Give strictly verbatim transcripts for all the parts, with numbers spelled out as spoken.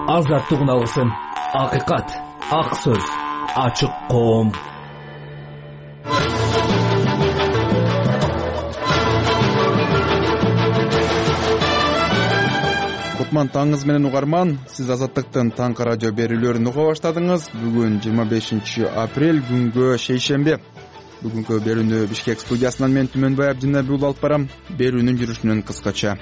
азаттыгын алгысың. Акыйкат, ак сөз, ачык коом. Кутман таңыңыз менен угарман. Сиз Азаттыктын таңкы радио берүүлөрүн уга баштадыңыз. Бүгүн жыйырма бешинчи апрель, күнгө шейшемби. Бүгүнкү берүүнү Бишкек студиясынан мен Түмөнбай Абдинабиул алып барам. Берүүнүн жүрүшүнөн кыскача.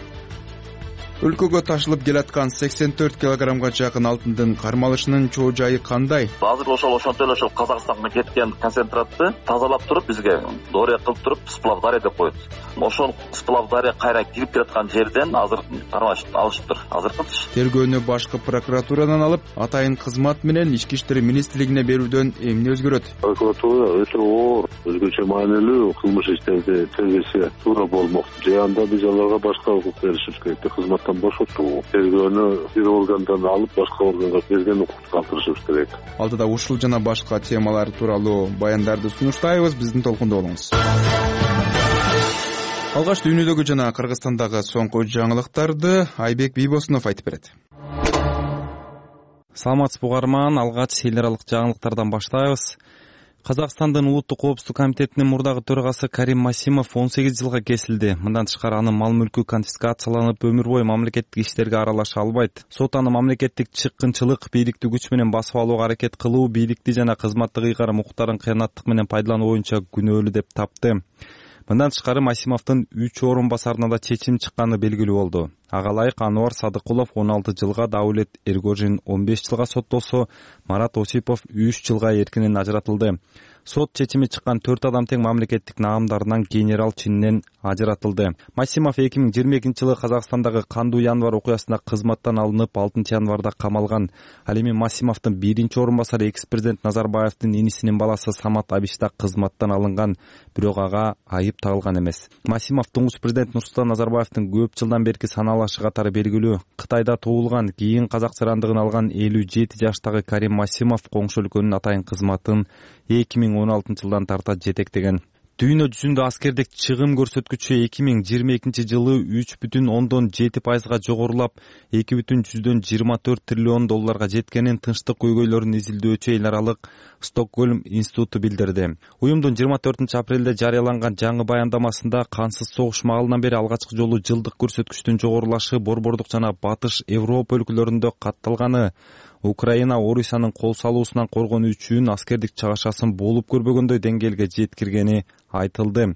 Өлкөгө ташылып келаткан сексен төрт килограммга жакын алтындын кармалышынын чоо жайы кандай? Азыр ошол ошонтип эле ошол Казакстанга кеткен концентратты тазалап туруп бизге доория кылып туруп сплавдария деп коет. Ошол сплавдария кайра кирип келаткан жерден азыр кармалышты алышыптыр. Азыркычы тергөөнү башкы прокуратурадан алып, атайын кызмат менен Ички иштер министрлигине берүүдөн эмне өзгөрөт? Прокуратура өтө оор, өзгөчө маанилүү кылмыш иштерди тергесе туура болмок. Же анда биз аларга башка укук беришибиз керек. Кызматтан бошотуу, тергөөнү бир органдан алып башка органга берген укукту калтырышыбыз керек. Алдыда ушул жана башка темалар тууралуу баяндарды сунуштайбыз. Биздин толкунда болуңуз. Алгаш дүйнөдөгү жана Кыргызстандагы соңку жаңылыктарды Айбек Бийбосунов айтып берет. Саламатсызбы угарман, алгач эл аралык жаңылыктардан баштайбыз. Казакстандын Улуттук коопсуздук комитетинин мурдагы төрагасы Карим Масимов он сегиз жылга кесилди. Мындан тышкары анын мал-мүлкү конфискацияланып, өмүр бою мамлекеттик иштерге аралаша албайт. Сот аны мамлекеттик чыккынчылык, бийликти күч менен басып алууга аракет кылуу, бийликти жана кызматтык ыйгарым укуктарын кыянаттык менен пайдалануу боюнча күнөөлүү деп тапты. Мындан тышкары Масимовдун үч орун басарына да чечим чыкканы белгилүү болду. Ага ылайык Ануар Садыкулов он алты жылга, Даулет Эргожин он беш жылга соттолсо, Марат Осипов үч жылга эркинен ажыратылды. Сот чечими чыккан төрт адам тең мамлекеттик наамдарынан генерал чининен ажыратылды. Масимов эки миң жыйырма экинчи жылы Казакстандагы Кандуу январ окуясында кызматтан алынып, алтынчы январда камалган. Ал эми Масимовдун биринчи орун басары экс-президент Назарбаевдин инисинин баласы Самат Абиш да кызматтан алынган, бирок ага айып тагылган эмес. Масимов туңгуч президент Нурсултан Назарбаевдин көп жылдан берки саналашы катары белгилүү. Кытайда туулган, кийин казак сырандыгын алган элүү жети жаштагы Карим Масимов коңшу өлкөнүн атайын кызматын эки миң он алтынчы жылдан тарта жетектеген. Дүйнө жүзүндө аскердик чыгым көрсөткүчү эки миң жыйырма экинчи жылы үч бүтүн ондон жети пайызга жогорулап, эки бүтүн жүздөн жыйырма төрт триллион долларга жеткенин Тынчтык көйгөйлөрүн изилдөөчү эл аралык Стокгольм институту билдирди. Уюмдун жыйырма төртүнчү апрелде жарыяланган жаңы баяндамасында кансыз согуш маалынан бери алгачкы жолу жылдык көрсөткүчтүн жогорулашы борбордук жана Батыш Европа өлкөлөрүндө катталганы, Украина Орусиянын кол салуусунан коргонуу үчүн аскердик чыгашасын болуп көрбөгөндөй деңгээлге жеткиргени айтылды.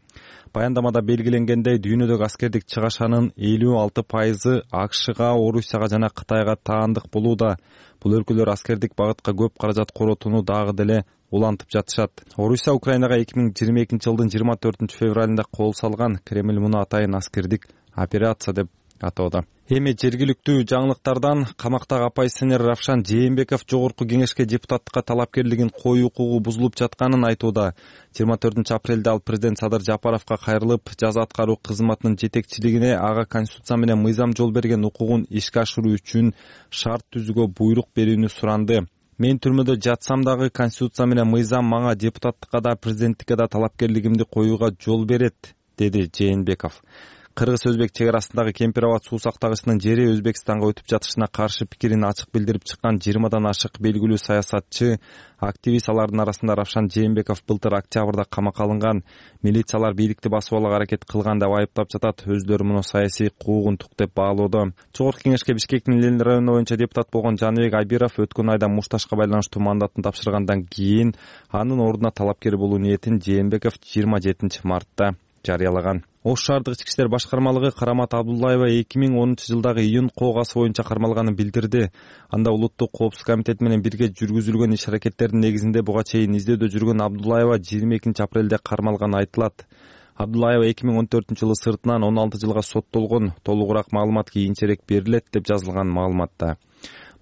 Баяндамада белгиленгендей, дүйнөдөгү аскердик чыгашанын элүү алты пайызы АКШга, Орусияга жана Кытайга таандык болууда. Бул өлкөлөр аскердик багытка көп каражат коротууну дагы деле улантып жатышат. Орусия Украинага эки миң жыйырма экинчи жылдын жыйырма төртүнчү февралында кол салган. Кремль муну атайын аскердик операция деп атоодо. Эми жергиликтүү жаңылыктардан камактагы оппозиционер Равшан Жээнбеков жогорку кеңешке депутаттыкка талапкерлигин коюу укугу бузулуп жатканын айтууда. жыйырма төртүнчү апрелде ал президент Садыр Жапаровго кайрылып, жаза аткаруу кызматынын жетекчилигине ага конституция менен мыйзам жол берген укугун ишке ашыруу үчүн шарт түзүүгө буйрук берүүнү суранды. Мен түрмөдө жатсам дагы конституция менен мыйзам мага депутаттыкка да президенттикке да талапкерлигимди коюуга жол берет, деди Жээнбеков. Кыргыз-Өзбек чек арасындагы Кемпир-Абад суу сактагычынын жери Өзбекстанга өтүп жатышына каршы пикирин ачык билдирип чыккан жыйырмадан ашык белгилүү саясатчы, активист алардын арасында Равшан Жээнбеков былтыр октябрда камакка алынган. Милициялар бийликти басып алууга аракет кылган деп айыптап жатат. Өздөрү муну саясий куугунтук деп баалоодо. Чогорку кеңешке Бишкектин Ленин району боюнча депутат болгон Жаныбек Айбиров өткөн айда мушташка байланыштуу мандатын тапшыргандан кийин анын ордуна талапкер болуу ниетин Жээнбеков жыйырма жетинчи мартта жарыялаган. Ош шаардык ички иштер башкармалыгы Карамат Абдуллаева эки миң онунчу жылдагы июнь коогасы боюнча кармалганын билдирди. Анда Улуттук коопсуздук комитети менен бирге жүргүзүлгөн иш-аракеттердин негизинде буга чейин издөөдө жүргөн Абдуллаева жыйырма экинчи апрелде кармалганы айтылат. Абдуллаева эки миң он төртүнчү жылы сыртынан он алты жылга соттолгон. Толугураак маалымат кийинчерээк берилет деп жазылган маалыматта.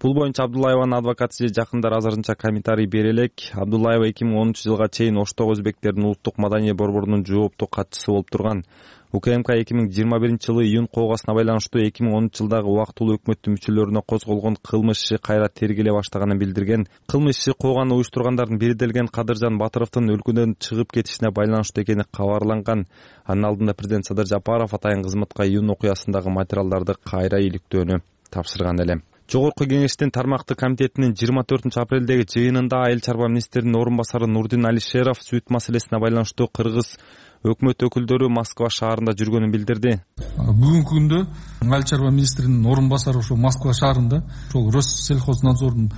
Бул боюнча Абдуллаеванын адвокаты же жакындары азырынча комментарий бере элек. Абдуллаева эки миң онунчу жылга чейин Оштогу өзбектердин улуттук маданий борборунун жооптуу катчысы болуп турган. УКМК эки миң жыйырма биринчи жылы июнь коогасына байланыштуу эки миң онунчу жылдагы убактылуу өкмөттүн мүчөлөрүнө козголгон кылмыш иши кайра тергеле баштаганын билдирген. Кылмыш иши кооганы уюштургандардын бири делген Кадыржан Батыровдун өлкөдөн чыгып кетишине байланыштуу экени кабарланган. Анын алдында президент Садыр Жапаров атайын кызматка июнь окуясындагы материалдарды кайра иликтөөнү тапшырган эле. Жогорку кеңештин тармактык комитетинин жыйырма төртүнчү апрелдеги жыйынында айыл чарба министринин орун басары Нурдин Алишеров сүт маселесине байланыштуу кыргыз өкмөт өкүлдөрү Москва шаарында жүргөнүн билдирди. Бүгүнкү күндө айыл чарба министринин орун басары ошо Москва шаарында ошол Россельхознадзордун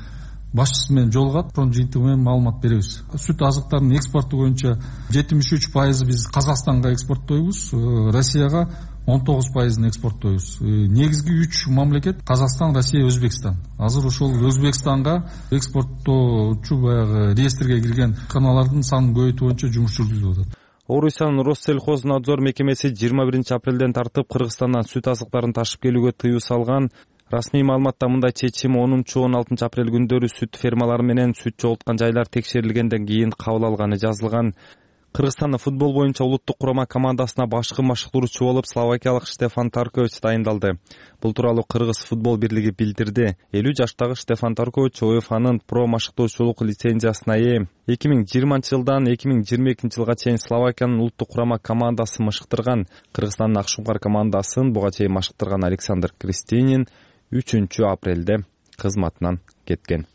башчысы менен жолугат, ошонун жыйынтыгы менен маалымат беребиз. Сүт азыктарынын экспорту боюнча жетимиш үч пайызы биз Казакстанга экспорттойбуз, Россияга он тогуз пайызын экспорттойбуз. Негизги үч мамлекет Казакстан, Россия, Өзбекстан. Азыр ошол Өзбекстанга экспорттоочу баягы реестрге кирген каналардын санын көбөйтүү боюнча жумуш жүргүзүлүп атат. Орусиянын Россельхознадзор мекемеси жыйырма биринчи апрелден тартып Кыргызстандан сүт азыктарын ташып келүүгө тыюу салган. Расмий маалыматта мындай чечим онунчу он алтынчы апрель күндөрү сүт фермалары менен сүт жоготкон жайлар текшерилгенден кийин кабыл алганы жазылган. Кыргызстандын футбол боюнча улуттук курама командасына башкы машыктыруучу болуп словакиялык Штефан Таркович дайындалды. Бул тууралуу Кыргыз футбол бирлиги билдирди. элүү жаштагы Штефан Таркович УЕФАнын про машыктоочулук лицензиясына ээ. эки миң жыйырманчы жылдан эки миң жыйырма экинчи жылга чейин Словакиянын улуттук курама командасы машыктырган. Кыргызстандын Акшумкар командасын буга чейин машыктырган Александр Кристинин үчүнчү апрелде кызматынан кеткен.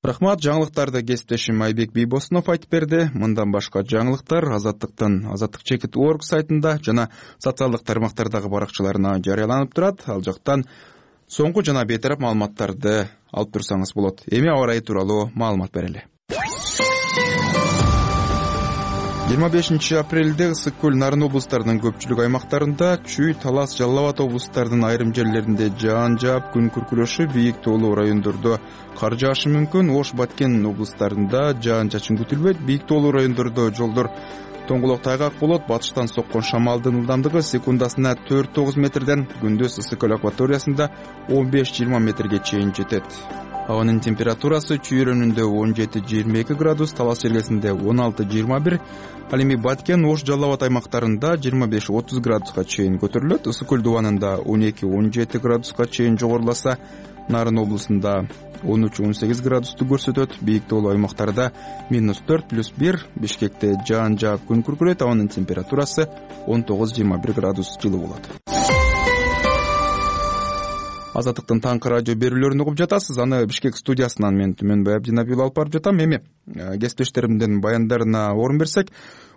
Рахмат, жаңылыктарды кесиптешим Айбек Бийбосунов айтып берди. Мындан башка жаңылыктар Азаттыктын Азаттык чекит точка орг сайтында жана социалдык тармактардагы баракчаларына жарыяланып турат. Ал жактан соңку жана бейтарап маалыматтарды алып турсаңыз болот. Эми аба ырайы тууралуу маалымат берели. жыйырма бешинчи апрелде Ысык көл, Нарын облустарынын көпчүлүк аймактарында, Чүй, Талас, Жалал Абад облустарынын айрым жерлеринде жаан жаап, күн күркүрөшү, бийик тоолуу райондордо кар жаашы мүмкүн. Ош, Баткен облустарында жаан чачын күтүлбөйт. Бийик тоолуу райондордо жолдор тоңголок тайгак болот. Батыштан соккон шамалдын ылдамдыгы секундасына төрт тогуз метрден, күндүз Ысык көл акваториясында он беш жыйырма метрге чейин жетет. Абанын температурасы Чүй районунда он жети жыйырма эки градус, Талас жергесинде он алты жыйырма бир, ал эми Баткен, Ош, Жалал Абад аймактарында жыйырма беш отуз градуска чейин көтөрүлөт. Ысык көл дубанында он эки он жети градуска чейин жогоруласа, Нарын облусунда он үч он сегиз градусту көрсөтөт. Бийик тоолуу аймактарда минус төрт плюс бир, Бишкекте жаан жаап күн күркүрөйт. Абанын температурасы он тогуз жыйырма бир градус жылуу болот. Азаттыктын таңкы радио берүүлөрүн угуп жатасыз. Аны Бишкек студиясынан мен Түмөнбай Абдинабиул алып барып жатам. Эми кесиптештеримдин баяндарына орун берсек,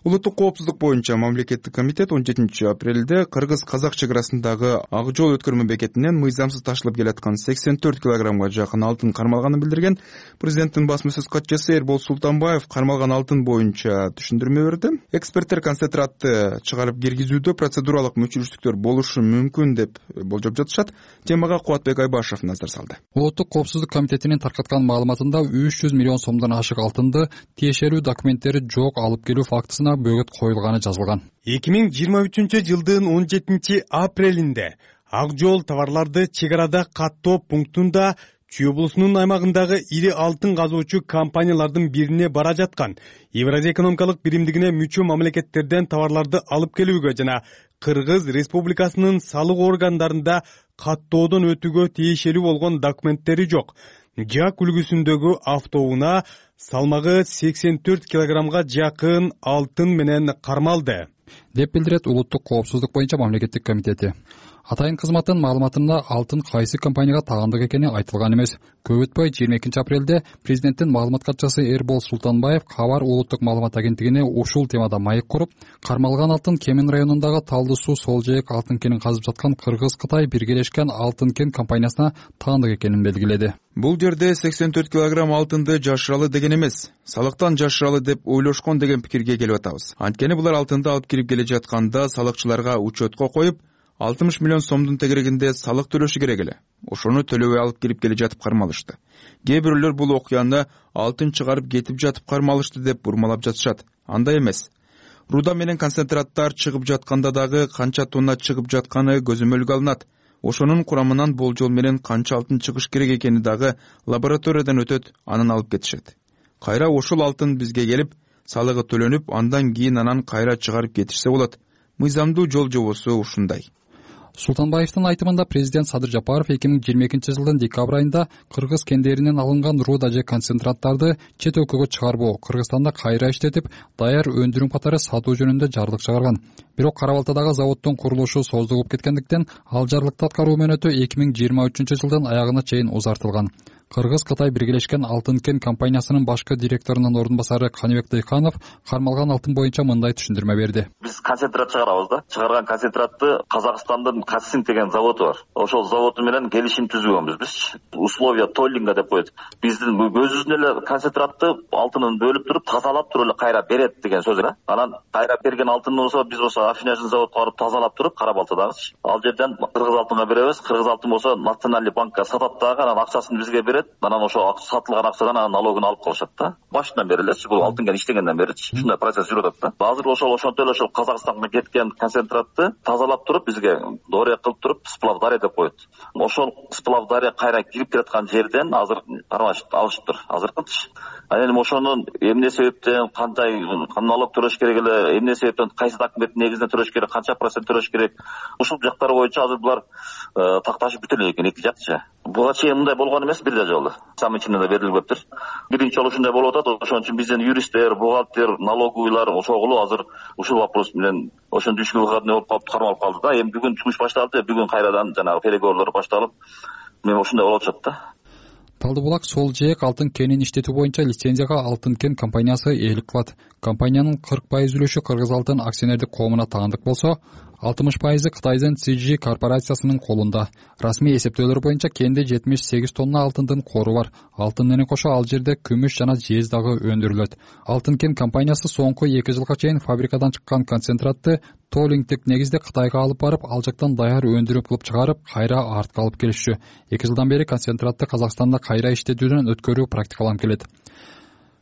улуттук коопсуздук боюнча мамлекеттик комитет он жетинчи апрелде Кыргыз-Казак чек арасындагы Ак жол өткөрмө бекетинен мыйзамсыз ташылып келаткан сексен төрт килограммга жакын алтын кармалганын билдирген. Президенттин басма сөз катчысы Эрбол Султанбаев кармалган алтын боюнча түшүндүрмө берди. Эксперттер концентратты чыгарып киргизүүдө процедуралык мүчүлүштүктөр болушу мүмкүн деп болжоп жатышат. Темага Кубатбек Айбашев назар салды. Улуттук коопсуздук комитетинин таркаткан маалыматында үч жүз миллион сомдон ашык алтынды тиешелүү документтери жок алып келүү фактысына бөгөт коюлганы жазылган. эки миң жыйырма үчүнчү жылдын он жетинчи апрелинде Ак жол товарларды чек арада каттоо пунктунда Чүй облусунун аймагындагы ири алтын казуучу компаниялардын бирине бара жаткан Евразия экономикалык биримдигине мүчө мамлекеттерден товарларды алып келүүгө жана Кыргыз Республикасынын салык органдарында каттоодон өтүүгө тиешелүү болгон документтери жок. Жак үлгүсүндөгү автоунаа салмагы сексен төрт килограммга жакын алтын менен кармалды, деп билдирет улуттук коопсуздук боюнча мамлекеттик комитети. Атайын кызматтын маалыматында алтын кайсы компанияга тагандык экени айтылган эмес. Көп өтпөй жыйырма экинчи апрелде президенттин маалымат катчысы Эрбол Султанбаев Кабар улуттук маалымат агенттигине ушул темада маек куруп, кармалган алтын Кемин районундагы Талды суу Сол жээк алтын кенин казып жаткан Кыргыз-Кытай биргелешкен алтын кен компаниясына тагандык экенин белгиледи. Бул жерде сексен төрт килограмм алтынды жашыралы деген эмес, салыктан жашыралы деп ойлошкон деген пикирге келип атабыз. Анткени булар алтынды алып кирип келе жатканда салыкчыларга учетко коюп, алтымыш миллион сомдун тегерегинде салык төлөшү керек эле. Ошону төлөбөй алып кирип келе жатып кармалышты. Кээ бирөөлөр бул окуяны алтын чыгарып кетип жатып кармалышты деп бурмалап жатышат. Андай эмес. Руда менен концентраттар чыгып жатканда дагы канча тонна чыгып жатканы көзөмөлгө алынат. Ошонун курамынан болжол менен канча алтын чыгыш керек экени дагы лабораториядан өтөт, анын алып кетишет. Кайра ошол алтын бизге келип, салыгы төлөнүп, андан кийин анан кайра чыгарып кетишсе болот. Мыйзамдуу жол жобосу ушундай. Султанбаевдин айтымында президент Садыр Жапаров эки миң жыйырма экинчи жылдын декабрь айында кыргыз кендеринен алынган руда же концентраттарды чет өлкөгө чыгарбоо, Кыргызстанда кайра иштетип, даяр өндүрүм катары сатуу жөнүндө жарлык чыгарган. Бирок Кара Балтадагы заводдун курулушу создугуп кеткендиктен ал жарлыкты аткаруу мөөнөтү эки миң жыйырма үчүнчү жылдын аягына чейин узартылган. Кыргыз-Кытай биргелешкен Алтын кен компаниясынын башкы директорунун орун басары Каныбек Дыйканов кармалган алтын боюнча мындай түшүндүрмө берди. Биз концентрат чыгарабыз да. Чыгарган концентратты Казакстандын Касин деген заводу бар. Ошол заводу менен келишим түзгөнбүз биз. Условия толлинга деп коет. Биздин өзүбүздүн эле концентратты алтынын бөлүп туруп, тазалап туруп эле кайра берет деген сөз эле. Анан кайра берген алтын болсо биз болсо аффинажный заводко барып тазалап туруп, Кара Балтадагычы. Ал жерден кыргыз алтынга беребиз. Кыргыз алтын болсо Национальный банкка сатат дагы, анан акчасын бизге берет. Анан ошо сатылган акчадан анан налогун алып калышат да. Башынан бери элечи, бул алтын кен иштегенден беричи. Ушундай процесс жүрүп атат да. Азыр ошол ошонтип эле ошол Казакстанга кеткен концентратты тазалап туруп, бизге доория кылып туруп, сплав дарья деп коет. Ошол сплав дарья кайра кирип келаткан жерден азыр кармашып алышыптыр. Азыркычы. Анан эми ошонун эмне себептен, кандай налог төлөш керек эле, эмне себептен, кайсы документтин негизинде төлөш керек, канча процент төлөш керек. Ушул жактары боюнча азыр булар такташып бүтө элек экен эки жакчы. Буга чейин мындай болгон эмес, бир да жолу. Самый ичинде да берилбептир. Биринчи жолу ушундай болуп атат. Ошон үчүн биздин юристтер, бухгалтер, налоговыйлар ошогулу азыр ушул вопрос менен ошондо үч выходной болуп калып кармалып калды да. Эми бүгүн жумуш башталды, бүгүн кайрадан жанагы переговорлор башталып, мен ушундай болуп атат да. Талдыбулак сол жээк алтын кенин иштетүү боюнча лицензияга Алтын кен компаниясы ээлик кылат. Компаниянын кырк пайыз үлүшү Кыргыз алтын акционердик коомуна таандык болсо, алтымыш пайызы Кытайдын Си Джи корпорациясынын колунда. Расмий эсептөөлөр боюнча кенде жетимиш сегиз тонна алтындын кору бар. Алтын менен кошо ал жерде күмүш жана жез дагы өндүрүлөт. Алтын кен компаниясы соңку эки жылга чейин фабрикадан чыккан концентратты толлингдик негизде Кытайга алып барып, ал жактан даяр өндүрүм кылып чыгарып, кайра артка алып келишчү. эки жылдан бери концентратты Казакстанда кайра иштетүүдөн өткөрүү практикаланып келет.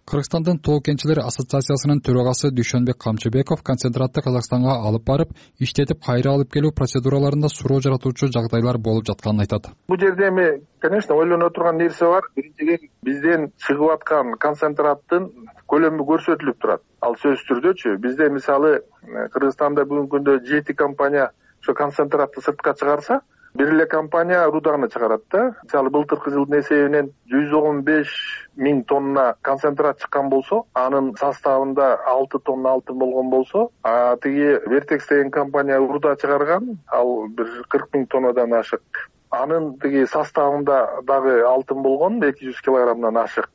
Кыргызстандын тоо кенчилер ассоциациясынын төрагасы Дүйшөнбек Камчыбеков концентратты Казакстанга алып барып, иштетип кайра алып келүү процедураларында суроо жаратуучу жагдайлар болуп жатканын айтат. Бул жерде эми, конечно, ойлоно турган нерсе бар. Биринчиден бизден чыгып аткан концентраттын көлөмү көрсөтүлүп турат. Ал сөзсүз түрдөчү. Бизде мисалы Кыргызстанда бүгүнкү күндө жети компания ошо концентратты сыртка чыгарса, бир эле компания руданы чыгарат да. Мисалы былтыркы жылдын эсебинен жүз он беш миң тонна концентрат чыккан болсо, анын составында алты тонна алтын болгон болсо, а тиги Vertex деген компания руда чыгарган, ал бир кырк миң тоннадан ашык. Анын тиги составында дагы алтын болгон эки жүз килограммдан ашык.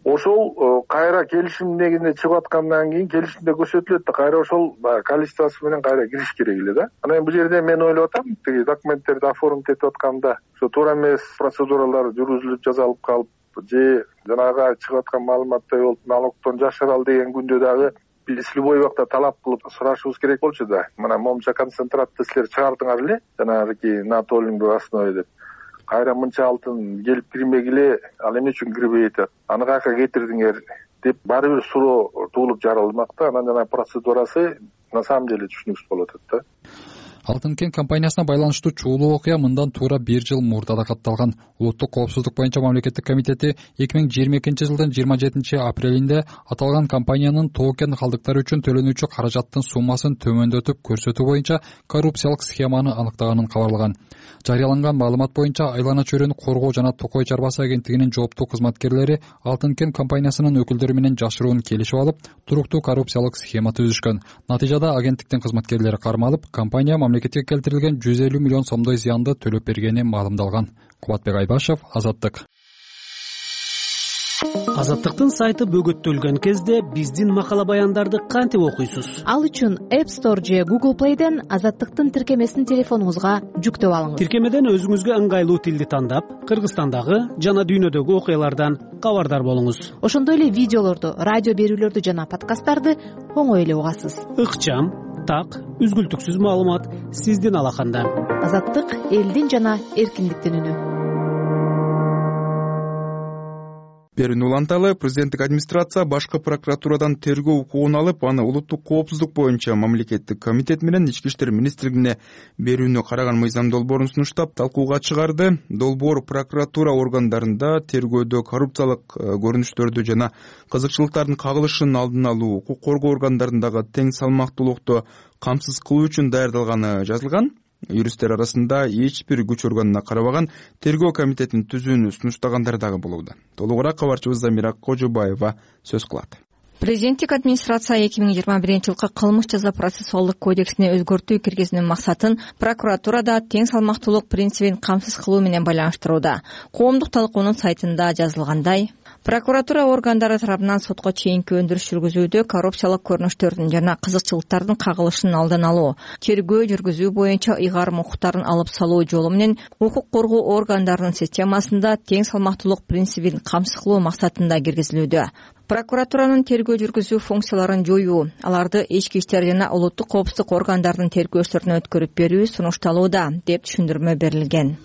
Ошол кайра келишим негизинде чыгып аткандан кийин келишимде көрсөтүлөт да, кайра ошол количествосы менен кайра кириш керек эле да. Анан бул жерде мен ойлоп атам, тиги документтерди оформить этип атканда ошо туура эмес процедуралар жүргүзүлүп жазалып калып, же жанагы чыгып аткан маалыматтай болуп налогдон жашырал деген күндө дагы биз любой убакта талап кылып сурашыбыз керек болчу да. Мына момча концентратты силер чыгардыңар эле, жанагы на толлинговой основе деп. Кайра мынча алтын келип кирмегиле, ал эмне үчүн кирбей атат, аны каяка кетирдиңер деп баары бир суроо туулуп жаралмак да. Анан жана процедурасы на самом деле түшүнүксүз болуп атат да. Алтын кен компаниясына байланыштуу чуулуу окуя мындан туура бир жыл мурда да катталган. Улуттук коопсуздук боюнча мамлекеттик комитети эки миң жыйырма экинчи жылдын жыйырма жетинчи апрелинде аталган компаниянын тоо кен калдыктары үчүн төлөнүүчү каражаттын суммасын төмөндөтүп көрсөтүү боюнча коррупциялык схеманы аныктаганын кабарлаган. Жарыяланган маалымат боюнча Айлана чөйрөнү коргоо жана Токой чарбасы агенттигинин жооптуу кызматкерлери Алтын кен компаниясынын өкүлдөрү менен жашыруун келишип алып, туруктуу коррупциялык схема түзүшкөн. Натыйжада агенттиктин кызматкерлери кармалып, компания мамлекетке келтирилген жүз элүү миллион сомдой зыянды төлөп бергени маалымдалган. Кубатбек Айбашев, Азаттык. Азаттыктын сайты бөгөттөлгөн кезде биздин макала баяндарды кантип окуйсуз? Ал үчүн App Store же Google Play'ден Азаттыктын тиркемесин телефонуңузга жүктөп алыңыз. Тиркемеден өзүңүзгө ыңгайлуу тилди тандап, Кыргызстандагы жана дүйнөдөгү окуялардан кабардар болуңуз. Ошондой эле видеолорду, радио берүүлөрдү жана подкасттарды оңой эле угасыз. Ыкчам, так, үзгүлтүксүз маалымат сиздин алаканда. Азаттык элдин жана эркиндиктин үнү. Берүүнү уланталы, президенттик администрация башкы прокуратурадан тергөө укугун алып, аны улуттук коопсуздук боюнча мамлекеттик комитет менен ички иштер министрлигине берүүнү караган мыйзам долбоорун сунуштап талкууга чыгарды. Долбоор прокуратура органдарында тергөөдө коррупциялык көрүнүштөрдү жана кызыкчылыктардын кагылышын алдын алуу, укук коргоо органдарындагы тең салмактуулукту камсыз кылуу үчүн даярдалганы жазылган. Юристтер арасында эч бир күч органына карабаган тергөө комитетин түзүүнү сунуштагандар дагы болууда. Толугураак кабарчыбыз Замира Кожобаева сөз кылат. Президенттик администрация эки миң жыйырма биринчи жылкы кылмыш жаза процессуалдык кодексине өзгөртүү киргизүүнүн максатын прокуратурада тең салмактуулук принцибин камсыз кылуу менен байланыштырууда. Коомдук талкуунун сайтында жазылгандай, прокуратура органдары тарабынан сотко чейинки өндүрүш жүргүзүүдө коррупциялык көрүнүштөрдүн жана кызыкчылыктардын кагылышынын алдын алуу, тергөө жүргүзүү боюнча ыйгарым укуктарын алып салуу жолу менен укук коргоо органдарынын системасында тең салмактуулук принцибин камсыз кылуу максатында киргизилүүдө. Прокуратуранын тергөө жүргүзүү функцияларын жоюу, аларды ички иштер жана улуттук коопсуздук органдарынын тергөөчүлөрүнө өткөрүп берүү сунушталууда, деп түшүндүрмө берилген.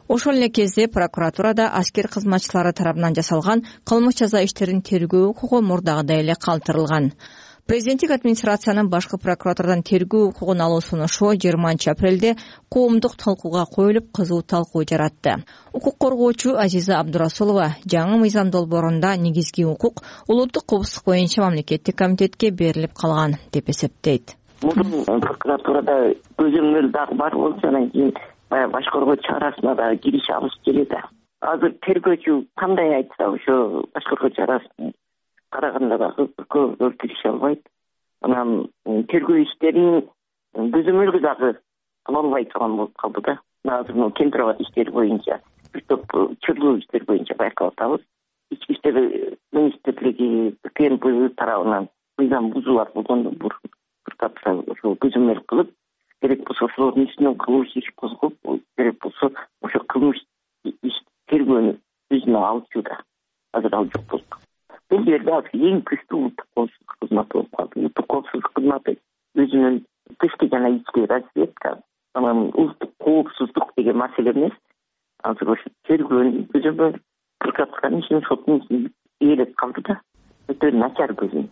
Ошол эле кезде прокуратурада аскер кызматчылары тарабынан жасалган кылмыш жаза иштерин тергөө укугу мурдагыдай эле калтырылган. Президенттик администрациянын башкы прокуратурадан тергөө укугун алуу сунушу жыйырманчы апрелде коомдук талкууга коюлуп, кызуу талкуу жаратты. Укук коргоочу Азиза Абдурасулова жаңы мыйзам долбоорунда негизги укук улуттук коопсуздук боюнча мамлекеттик комитетке берилип калган деп эсептейт. Мурун прокуратурада көзөмөл дагы бар болчу, анан кийин баягы баш коргоо чарасына да кириш алыш керек да. Азыр тергөөчү кандай айтса ошо баш коргоо чарасын караганда дагы көп киреше албайт. Анан тергөө иштерин көзөмөлгө дагы кыла албай турган болуп калды да. Азыр могу Кемпирабад иштери боюнча бир топ чырлуу иштер боюнча байкап атабыз. Ички иштер министрлиги КНП тарабынан мыйзам бузуулар болгондо бир тапса ошо көзөмөл кылып, керек болсо ошолордун үстүнөн кылмыш иш козгоп, керек болсо ошо кылмыш иш тергөөнү өзүнө алчу да. Азыр ал жок болду. Бул жерде азыр эң күчтүү улуттук коопсуздук кызматы болуп калды. Улуттук коопсуздук кызматы өзүнүн тышкы жана ички разведка, анан улуттук коопсуздук деген маселе эмес. Азыр ошо тергөөнү көзөмөл прокуратуранын ишин соттун ишин ээлеп калды да. Өтө начар көзөмөл.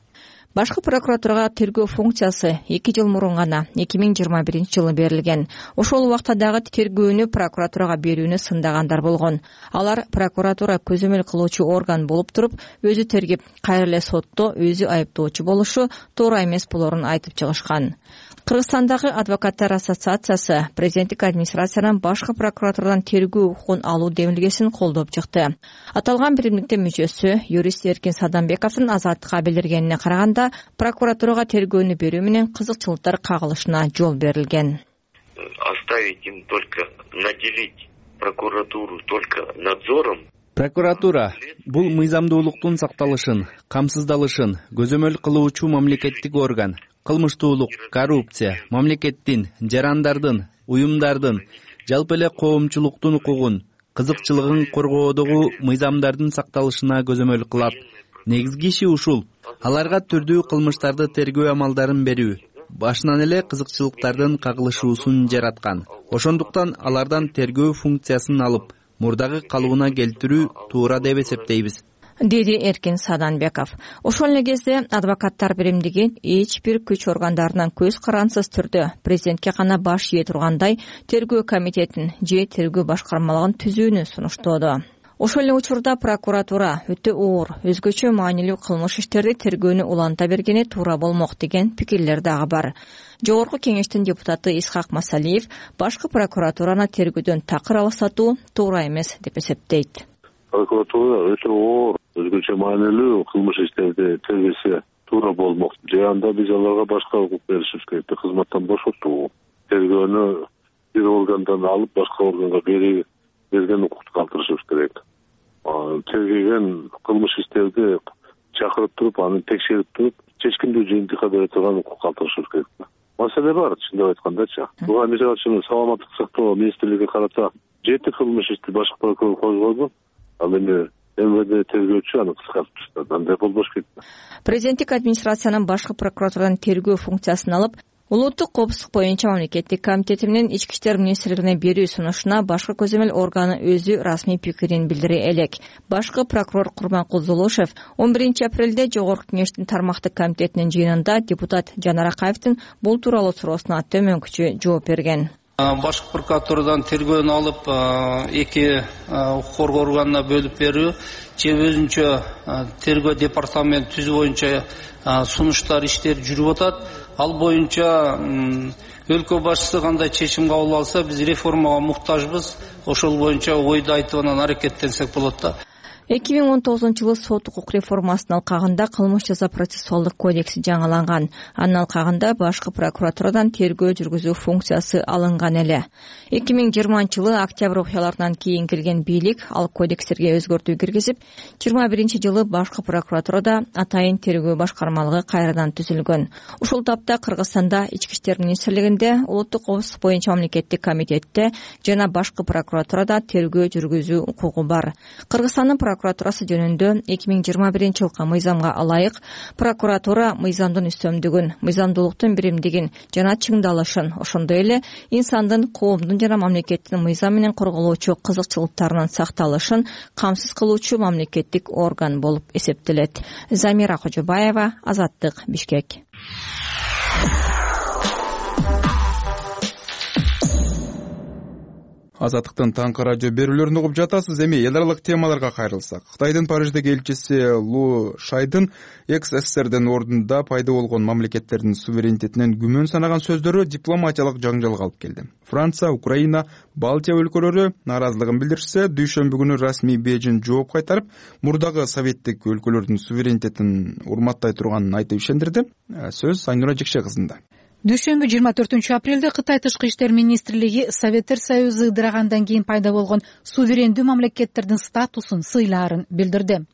Башкы прокуратурага тергөө функциясы эки жыл мурун гана эки миң жыйырма биринчи жылы берилген. Ошол убакта дагы тергөөнү прокуратурага берүүнү сындагандар болгон. Алар прокуратура көзөмөл кылуучу орган болуп туруп, өзү тергеп, кайра эле сотто өзү айыптоочу болушу туура эмес болорун айтып чыгышкан. Кыргызстандагы адвокаттар ассоциациясы президенттик администрациянын башкы прокуратурадан тергөө укугун алуу демилгесин колдоп чыкты. Аталган биримдиктин мүчөсү юрист Эркин Саданбековдун Азаттыкка билдиргенине караганда, прокуратурага тергөөнү берүү менен кызыкчылыктар кагылышына жол берилген. Оставить им только, наделить прокуратуру только надзором. Прокуратура бул мыйзамдуулуктун сакталышын, камсыздалышын көзөмөл кылуучу мамлекеттик орган. Кылмыштуулук, коррупция, мамлекеттин, жарандардын, уюмдардын, жалпы эле коомчулуктун укугун, кызыкчылыгын коргоодогу мыйзамдардын сакталышына көзөмөл кылат. Негизги иши ушул. Аларга түрдүү кылмыштарды тергөө амалдарын берүү, башынан эле кызыкчылыктардын кагылышуусун жараткан. Ошондуктан алардан тергөө функциясын алып, мурдагы калыбына келтирүү туура деп эсептейбиз, деди Эркин Саданбеков. Ошол эле кезде адвокаттар биримдиги эч бир күч органдарынан көз карансыз түрдө президентке гана баш ийе тургандай тергөө комитетин же тергөө башкармалыгын түзүүнү сунуштоодо. Ошол эле учурда прокуратура өтө оор, өзгөчө маанилүү кылмыш иштерди тергөөнү уланта бергени туура болмок деген пикирлер дагы бар. Жогорку кеңештин депутаты Исхак Масалиев башкы прокуратураны тергөөдөн такыр алыстатуу туура эмес деп эсептейт. Прокуратура өтө оор, өзгөчө маанилүү кылмыш иштерди тергесе туура болмок. Же анда биз аларга башка укук беришибиз керек, кызматтан бошотуу. Тергөөнү бир органдан алып башка органга берген укукту калтырышыбыз керек. Тергеген кылмыш иштерди чакырып туруп, аны текшерип туруп, чечкиндүү жыйынтыкка бере турган укук калтырышыбыз керек. Маселе бар, чындап айткандачы. Буга мисалы үчүн саламаттык сактоо министрлиги карата жети кылмыш ишти башкы прокурор козгоду. Ал эми МВД тергөөчү аны кыскартып таштады. Андай болбош кетти. Президенттик администрациянын башкы прокуратурадан тергөө функциясын алып, улуттук коопсуздук боюнча мамлекеттик комитети менен ички иштер министрлигине берүү сунушуна башкы көзөмөл органы өзү расмий пикирин билдире элек. Башкы прокурор Курманкул Зулушев он биринчи апрелде Жогорку кеңештин тармактык комитетинин жыйынында депутат Жанар Акаевдин бул тууралуу суроосуна төмөнкүчө жооп берген. Башкы прокуратурадан тергөөнү алып эки укук коргоо органына бөлүп берүү же өзүнчө тергөө департамент түзүү боюнча сунуштар иштер жүрүп атат. ал боюнча өлкө башчысы кандай чечим кабыл алса, биз реформага муктажбыз. Ошол боюнча ойду айтып анан аракеттенсек болот да. эки миң он тогузунчу жылы сот укук реформасынын алкагында кылмыш жаза процессуалдык кодекси жаңыланган. Анын алкагында башкы прокуратурадан тергөө жүргүзүү функциясы алынган эле. эки миң жыйырманчы жылы октябрь окуяларынан кийин келген бийлик ал кодекстерге өзгөртүү киргизип, жыйырма биринчи жылы башкы прокуратурада атайын тергөө башкармалыгы кайрадан түзүлгөн. Ушул тапта Кыргызстанда ички иштер министрлигинде, улуттук коопсуздук боюнча мамлекеттик комитетте жана башкы прокуратурада тергөө жүргүзүү укугу бар. Кыргызстандын прокуратурасы жөнүндө эки миң жыйырма биринчи жылкы мыйзамга ылайык прокуратура мыйзамдын үстөмдүгүн, мыйзамдуулуктун биримдигин жана чыңдалышын, ошондой эле инсандын, коомдун жана мамлекеттин мыйзам менен корголоочу кызыкчылыктарынын сакталышын камсыз кылуучу мамлекеттик орган болуп эсептелет. Замира Кожобаева, Азаттык, Бишкек. Азаттыктын таңкы радио берүүлөрүн угуп жатасыз. Эми эл аралык темаларга кайрылсак, Кытайдын Париждеги элчиси Лу Шайдын экс СССРдин ордунда пайда болгон мамлекеттердин суверенитетинен күмөн санаган сөздөрү дипломатиялык жаңжалга алып келди. Франция, Украина, Балтия өлкөлөрү нааразылыгын билдиришсе, дүйшөмбү күнү расмий Бейжин жооп кайтарып, мурдагы советтик өлкөлөрдүн суверенитетин урматтай турганын айтып ишендирди. Сөз Айнура Жекше кызында. Дүйшөмбү жыйырма төртүнчү апрелде Кытай Тышкы иштер министрлиги Советтер Союзу ыдырагандан кийин пайда болгон суверендүү мамлекеттердин статусун сыйлаарын билдирди.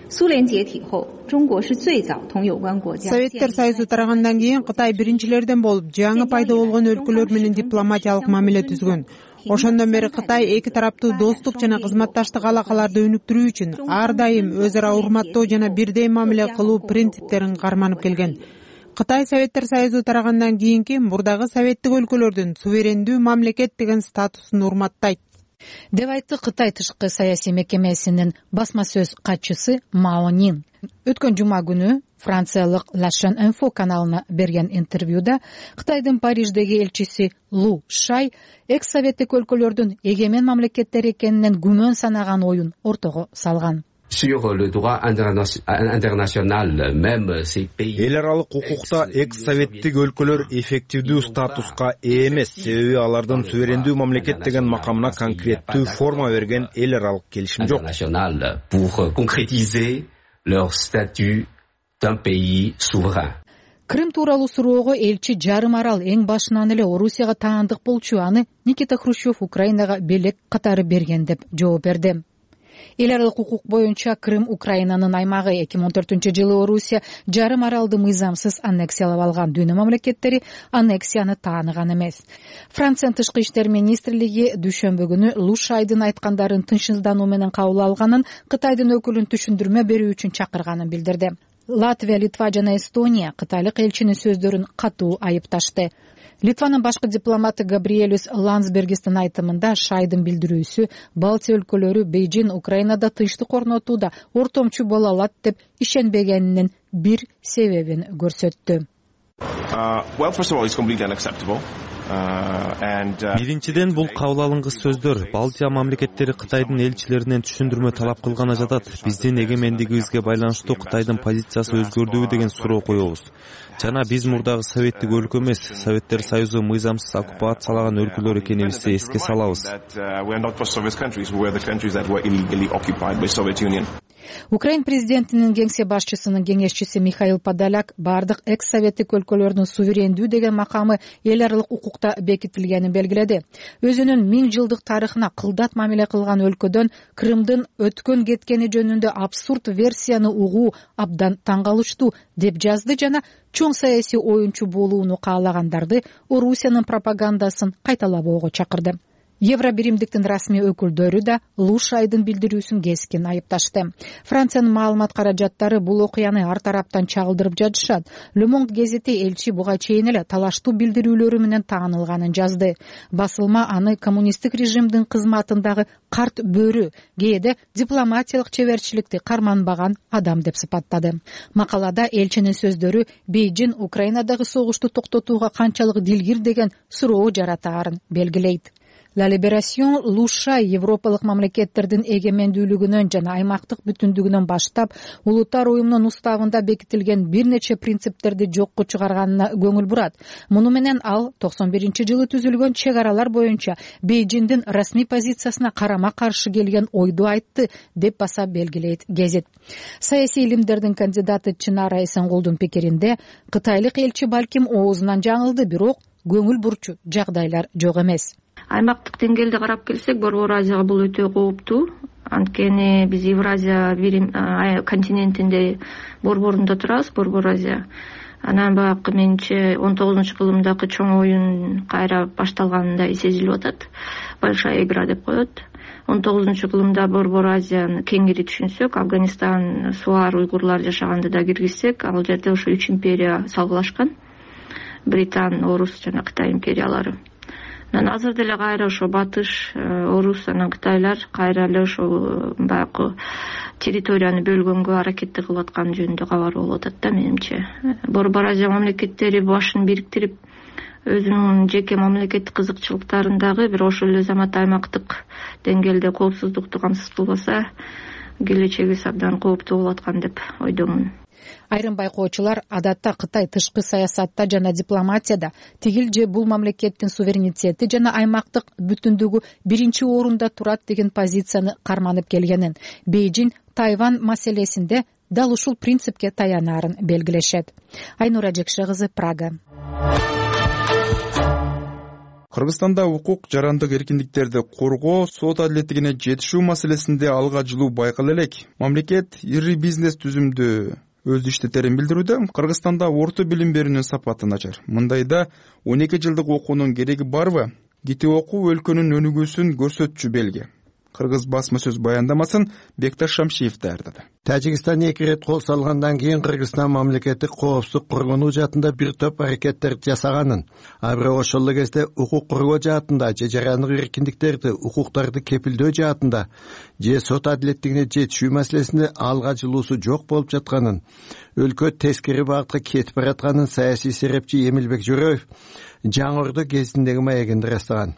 Советтер Союзу тарагандан кийин Кытай биринчилерден болуп, жаңы пайда болгон өлкөлөр менен дипломатиялык мамиле түзгөн. Ошондон бери Кытай эки тараптуу достук жана кызматташтык алакаларды өнүктүрүү үчүн ар дайым өз ара урматтоо жана бирдей мамиле кылуу принциптерин карманып келген. Кытай Советтер Союзу тарагандан кийинки мурдагы советтик өлкөлөрдүн суверендүү мамлекет деген статусун урматтайт, деп айтты Кытай тышкы саясий мекемесинин басма сөз катчысы Мао Нин. Өткөн жума күнү франциялык La Chaîne Info каналына берген интервьюда Кытайдын Париждеги элчиси Лу Шай экс советтик өлкөлөрдүн эгемен мамлекеттер экенинен күмөн санаган оюн ортого салган. Эл аралык укукта экс советтик өлкөлөр эффективдүү статуска ээ эмес, себеби алардын суверендүү мамлекет деген макамына конкреттүү форма берген эл аралык келишим жок. Крым тууралуу суроого элчи жарым арал эң башынан эле Орусияга таандык болчу, аны Никита Хрущев Украинага белек катары берген деп жооп берди. Эл аралык укук боюнча Крым Украинанын аймагы. эки миң он төртүнчү жылы Орусия жарым аралды мыйзамсыз аннексиялап алган. Дүйнө мамлекеттери аннексияны тааныган эмес. Франциянын тышкы иштер министрлиги дүйшөмбү күнү Лу Шайдын айткандарын тынчсыздануу менен кабыл алганын, Кытайдын өкүлүн түшүндүрмө берүү үчүн чакырганын билдирди. Латвия, Литва жана Эстония кытайлык элчинин сөздөрүн катуу айыпташты. Литванын башкы дипломаты Габриэлюс Ландсбергистин айтымында Шайдын билдирүүсү Балтия өлкөлөрү Бейжин Украинада тынчтык орнотууда ортомчу боло алат деп ишенбегенинин бир себебин көрсөттү. Биринчиден, бул кабыл алынгыс сөздөр Балтия мамлекеттери Кытайдын элчилеринен түшүндүрмө талап кылганы жатат. Биздин эгемендигибизге байланыштуу Кытайдын позициясы өзгөрдүбү деген суроо коебуз. Жана биз мурдагы советтик өлкө эмес, Советтер Союзу мыйзамсыз оккупациялаган өлкөлөр экенибизди эске салабыз. Украин президентинин кеңсе башчысынын кеңешчиси Михаил Подоляк бардык экс советтик өлкөлөрдүн суверендүү деген макамы эл аралык укукта бекитилгенин белгиледи. Өзүнүн миң жылдык тарыхына кылдат мамиле кылган өлкөдөн Крымдын өткөн кеткени жөнүндө абсурд версияны угуу абдан таң калыштуу деп жазды жана чоң саясий оюнчу болууну каалагандарды Орусиянын пропагандасын кайталабоого чакырды. Евробиримдиктин расмий өкүлдөрү да Лу Шайдын билдирүүсүн кескин айыпташты. Франциянын маалымат каражаттары бул окуяны ар тараптан чагылдырып жатышат. Le Monde гезити элчи буга чейин эле талаштуу билдирүүлөрү менен таанылганын жазды. Басылма аны коммунисттик режимдин кызматындагы карт бөрү, кээде дипломатиялык чеберчиликти карманбаган адам деп сыпаттады. Макалада элчинин сөздөрү Бейжин Украинадагы согушту токтотууга канчалык дилгир деген суроо жаратаарын белгилейт. La Liberation Лушай европалык мамлекеттердин эгемендүүлүгүнөн жана аймактык бүтүндүгүнөн баштап улуттар уюмунун уставында бекитилген бир нече принциптерди жокко чыгарганына көңүл бурат. Муну менен ал токсон биринчи жылы түзүлгөн чек аралар боюнча Бейжиңдин расмий позициясына карама каршы келген ойду айтты деп баса белгилейт гезит. Саясий илимдердин кандидаты Чынара Эсенгулдун пикиринде кытайлык элчи балким оозунан жаңылды, бирок көңүл бурчу жагдайлар жок эмес. Аймактык деңгээлде карап келсек, Борбор Азияга бул өтө кооптуу. Анткени биз Евразия континентинде борборунда турабыз, Борбор Азия. Анан баягы менче он тогузунчу кылымдагы чоң оюн кайра башталганында сезилип атат. Большая игра деп коет. он тогузунчу кылымда Борбор Азияны кеңири түшүнсөк, Афганистан, Суар, уйгурлар жашаганды да киргизсек, ал жерде ошо үч империя салгылашкан. Британ, Орус жана Кытай империялары. Анан азыр деле кайра ошо Батыш, Орус, анан Кытайлар кайра эле ошо баягы территорияны бөлгөнгө аракетти кылып аткан жөнүндө кабар болуп атат да менимче. Борбор Азия мамлекеттери башын бириктирип, өзүнүн жеке мамлекеттик кызыкчылыктарындагы бир ошол эле замат аймактык деңгээлде коопсуздукту камсыз кылбаса, келечегибиз абдан кооптуу болуп аткан деп ойдомун. Айрым байкоочулар адатта Кытай тышкы саясатта жана дипломатияда тигил же бул мамлекеттин суверенитети жана аймактык бүтүндүгү биринчи орунда турат деген позицияны карманып келгенин, Бейжиң Тайвань маселесинде дал ушул принципке таянарын белгилешет. Айнура Жекше кызы, Прага. Кыргызстанда укук жарандык эркиндиктерди коргоо, сот адилеттигине жетишүү маселесинде алга жылуу байкала элек. Мамлекет ири бизнес түзүмдү өз иштетерин билдирүүдө. Кыргызстанда орто билим берүүнүн сапаты начар. Мындайда он эки жылдык окуунун кереги барбы? Кити окуу өлкөнүн өнүгүүсүн көрсөтчү белги. Кыргыз басма сөз баяндамасын Бекташ Шамшиев даярдады. Тажикстан эки ирет кол салгандан кийин Кыргызстан мамлекеттик коопсуздук коргонуу жаатында бир топ аракеттер жасаганын, а бирок ошол эле кезде укук коргоо жаатында же жарандык эркиндиктерди, укуктарды кепилдөө жаатында же сот адилеттигине жетишүү маселесинде алга жылуусу жок болуп жатканын, өлкө тескери багытка кетип баратканын саясий серепчи Эмилбек Жөрөев Жаңы Ордо гезитиндеги маегинде ырастаган.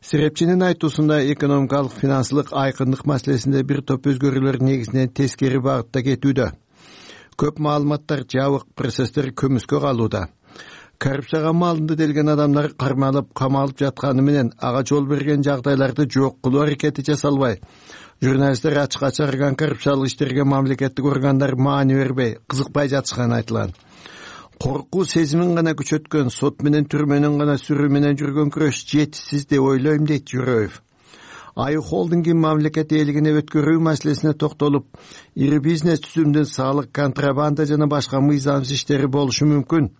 Серепчинин айтуусунда экономикалык финансылык айкындык маселесинде бир топ өзгөрүүлөр негизинен тескери багытта кетүүдө. Көп маалыматтар жабык, процесстер көмүскө калууда. Коррупцияга малынды делген адамдар кармалып, камалып жатканы менен ага жол берген жагдайларды жок кылуу аракети жасалбай, журналисттер ачыкка чыгарган коррупциялык иштерге мамлекеттик органдар маани бербей, кызыкпай жатышканы айтылган. Коркуу сезимин гана күчөткөн, сот менен түрмөнүн гана сүрүү менен жүргөн күрөш жетишсиз деп ойлойм, дейт Жөрөев. Аю холдингин мамлекет ээлигине өткөрүү маселесине токтолуп, ири бизнес түзүмдүн салык, контрабанда жана башка мыйзамсыз иштери болушу мүмкүн.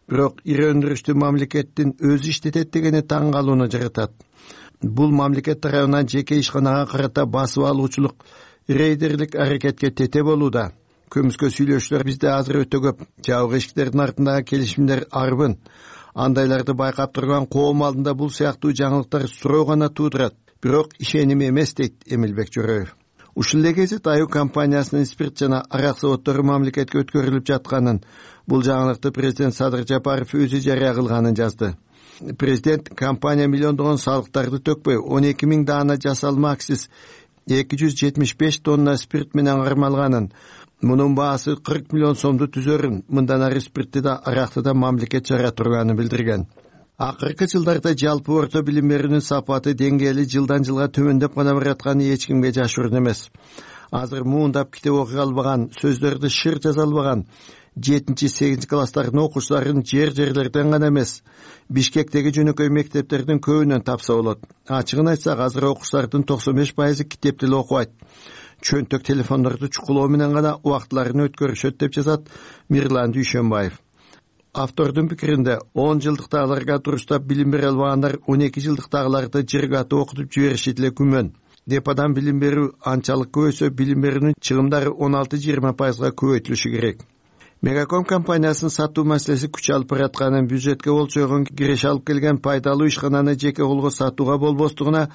Бирок ири өндүрүштү мамлекеттин өзү иштетет дегени таң калууну жаратат. Бул мамлекет тарабынан жеке ишканага карата басып алуучулук, рейдерлик аракетке тете болууда. Көмүскө сүйлөшүүлөр бизде азыр өтө көп. Жабык эшиктердин артындагы келишимдер арбын. Андайларды байкап турган коом алдында бул сыяктуу жаңылыктар суроо гана туудурат. Бирок ишеним эмес, дейт Эмилбек Жөрөев. Ушул эле гезит Аю компаниясынын спирт жана арак заводдору мамлекетке өткөрүлүп жатканын, бул жаңылыкты президент Садыр Жапаров өзү жарыя кылганын жазды. Президент компания миллиондогон салыктарды төкпөй он эки миң даана жасалма акциз эки жүз жетимиш беш тонна спирт менен кармалганын, мунун баасы кырк миллион сомду түзөрүн, мындан ары спиртти да аракты да мамлекет чыгара турганын билдирген. Акыркы жылдарда жалпы орто билим берүүнүн сапаты деңгээли жылдан жылга төмөндөп гана баратканы эч кимге жашыруун эмес. Азыр муундап китеп окуй албаган, сөздөрдү шыр жаза албаган жетинчи сегизинчи класстардын окуучуларын жер-жерлерден гана эмес, Бишкектеги жөнөкөй мектептердин көбүнөн тапса болот. Ачыгын айтсак, азыр окуучулардын токсон беш пайызы китепти эле окубайт. Чөнтөк телефондорду чукулоо менен гана убактыларын өткөрүшөт деп жазат Мирлан Дүйшөнбаев. Автордун пикиринде он жылдыктагыларга дурустап билим бере албагандар он эки жылдыктагыларды жыргатып окутуп жибериши деле күмөн. Депадан билим берүү анчалык көбөйсө, билим берүүнүн чыгымдары он алты жыйырма пайызга көбөйтүлүшү керек. Мегаком компаниясынын сатуу маселеси күч алып баратканын, бюджетке болчойгон киреше алып келген пайдалуу ишкананы жеке колго сатууга болбостугуна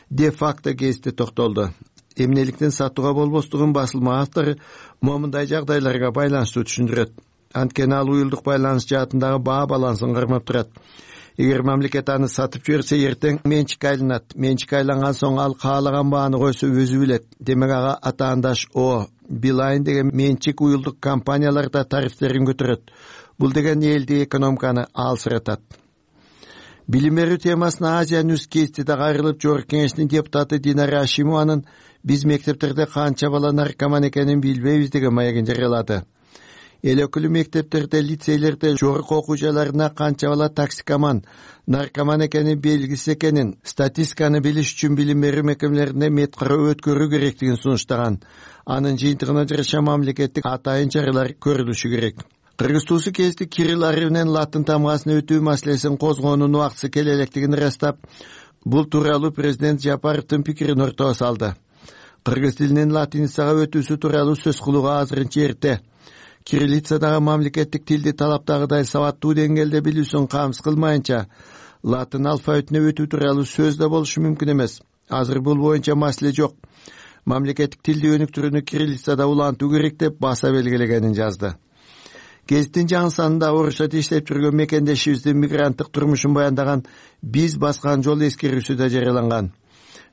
де-факто гезитте токтолду. Эмнеликтен сатууга болбостугун басылма автору момундай жагдайларга байланыштуу түшүндүрөт. Анткени ал уюлдук байланыш жаатындагы баа балансын кармап турат. эгер мамлекет аны сатып жиберсе эртең менчикке айланат. Менчикке айланган соң ал каалаган бааны койсо өзү билет. Демек ага атаандаш О, Билайн деген менчик уюлдук компаниялар да тарифтерин көтөрөт. Бул деген элди экономиканы алсыратат. Билим берүү темасына Азия Ньюс Кейстиде кайрылып Жогорку Кеңештин депутаты Динара Ашимованын биз мектептерде канча бала наркоман экенин билбейбиз деген маегин жарыялады. Эл өкүлү мектептерде, лицейлерде, жогорку окуу жайларына канча бала токсикоман, наркоман экенин белгисиз экенин, статистиканы билиш үчүн билим берүү мекемелерине мет кароо өткөрүү керектигин сунуштаган. Анын жыйынтыгына жараша мамлекеттик атайын чаралар көрүлүшү керек. Кыргыз туусу кести Кирилл арабинен латын тамгасына өтүү маселесин козгоонун убактысы келе электигин ырастап, бул тууралуу президент Жапаровдун пикирин ортого салды. Кыргыз тилинин латиницага өтүүсү тууралуу сөз кылууга азырынча эрте. Кириллицадагы мамлекеттик тилди талаптагыдай сабаттуу деңгээлде билүүсүн камсыз кылмайынча, латын алфавитине өтүү тууралуу сөз да болушу мүмкүн эмес. Азыр бул боюнча маселе жок. Мамлекеттик тилди өнүктүрүүнү кириллицада улантуу керек деп баса белгилегенин жазды. Гезиттин жаңы санында орусча иштеп жүргөн мекендешибиздин мигранттык турмушун баяндаган «Биз баскан жол» эскерүүсү да жарыяланган.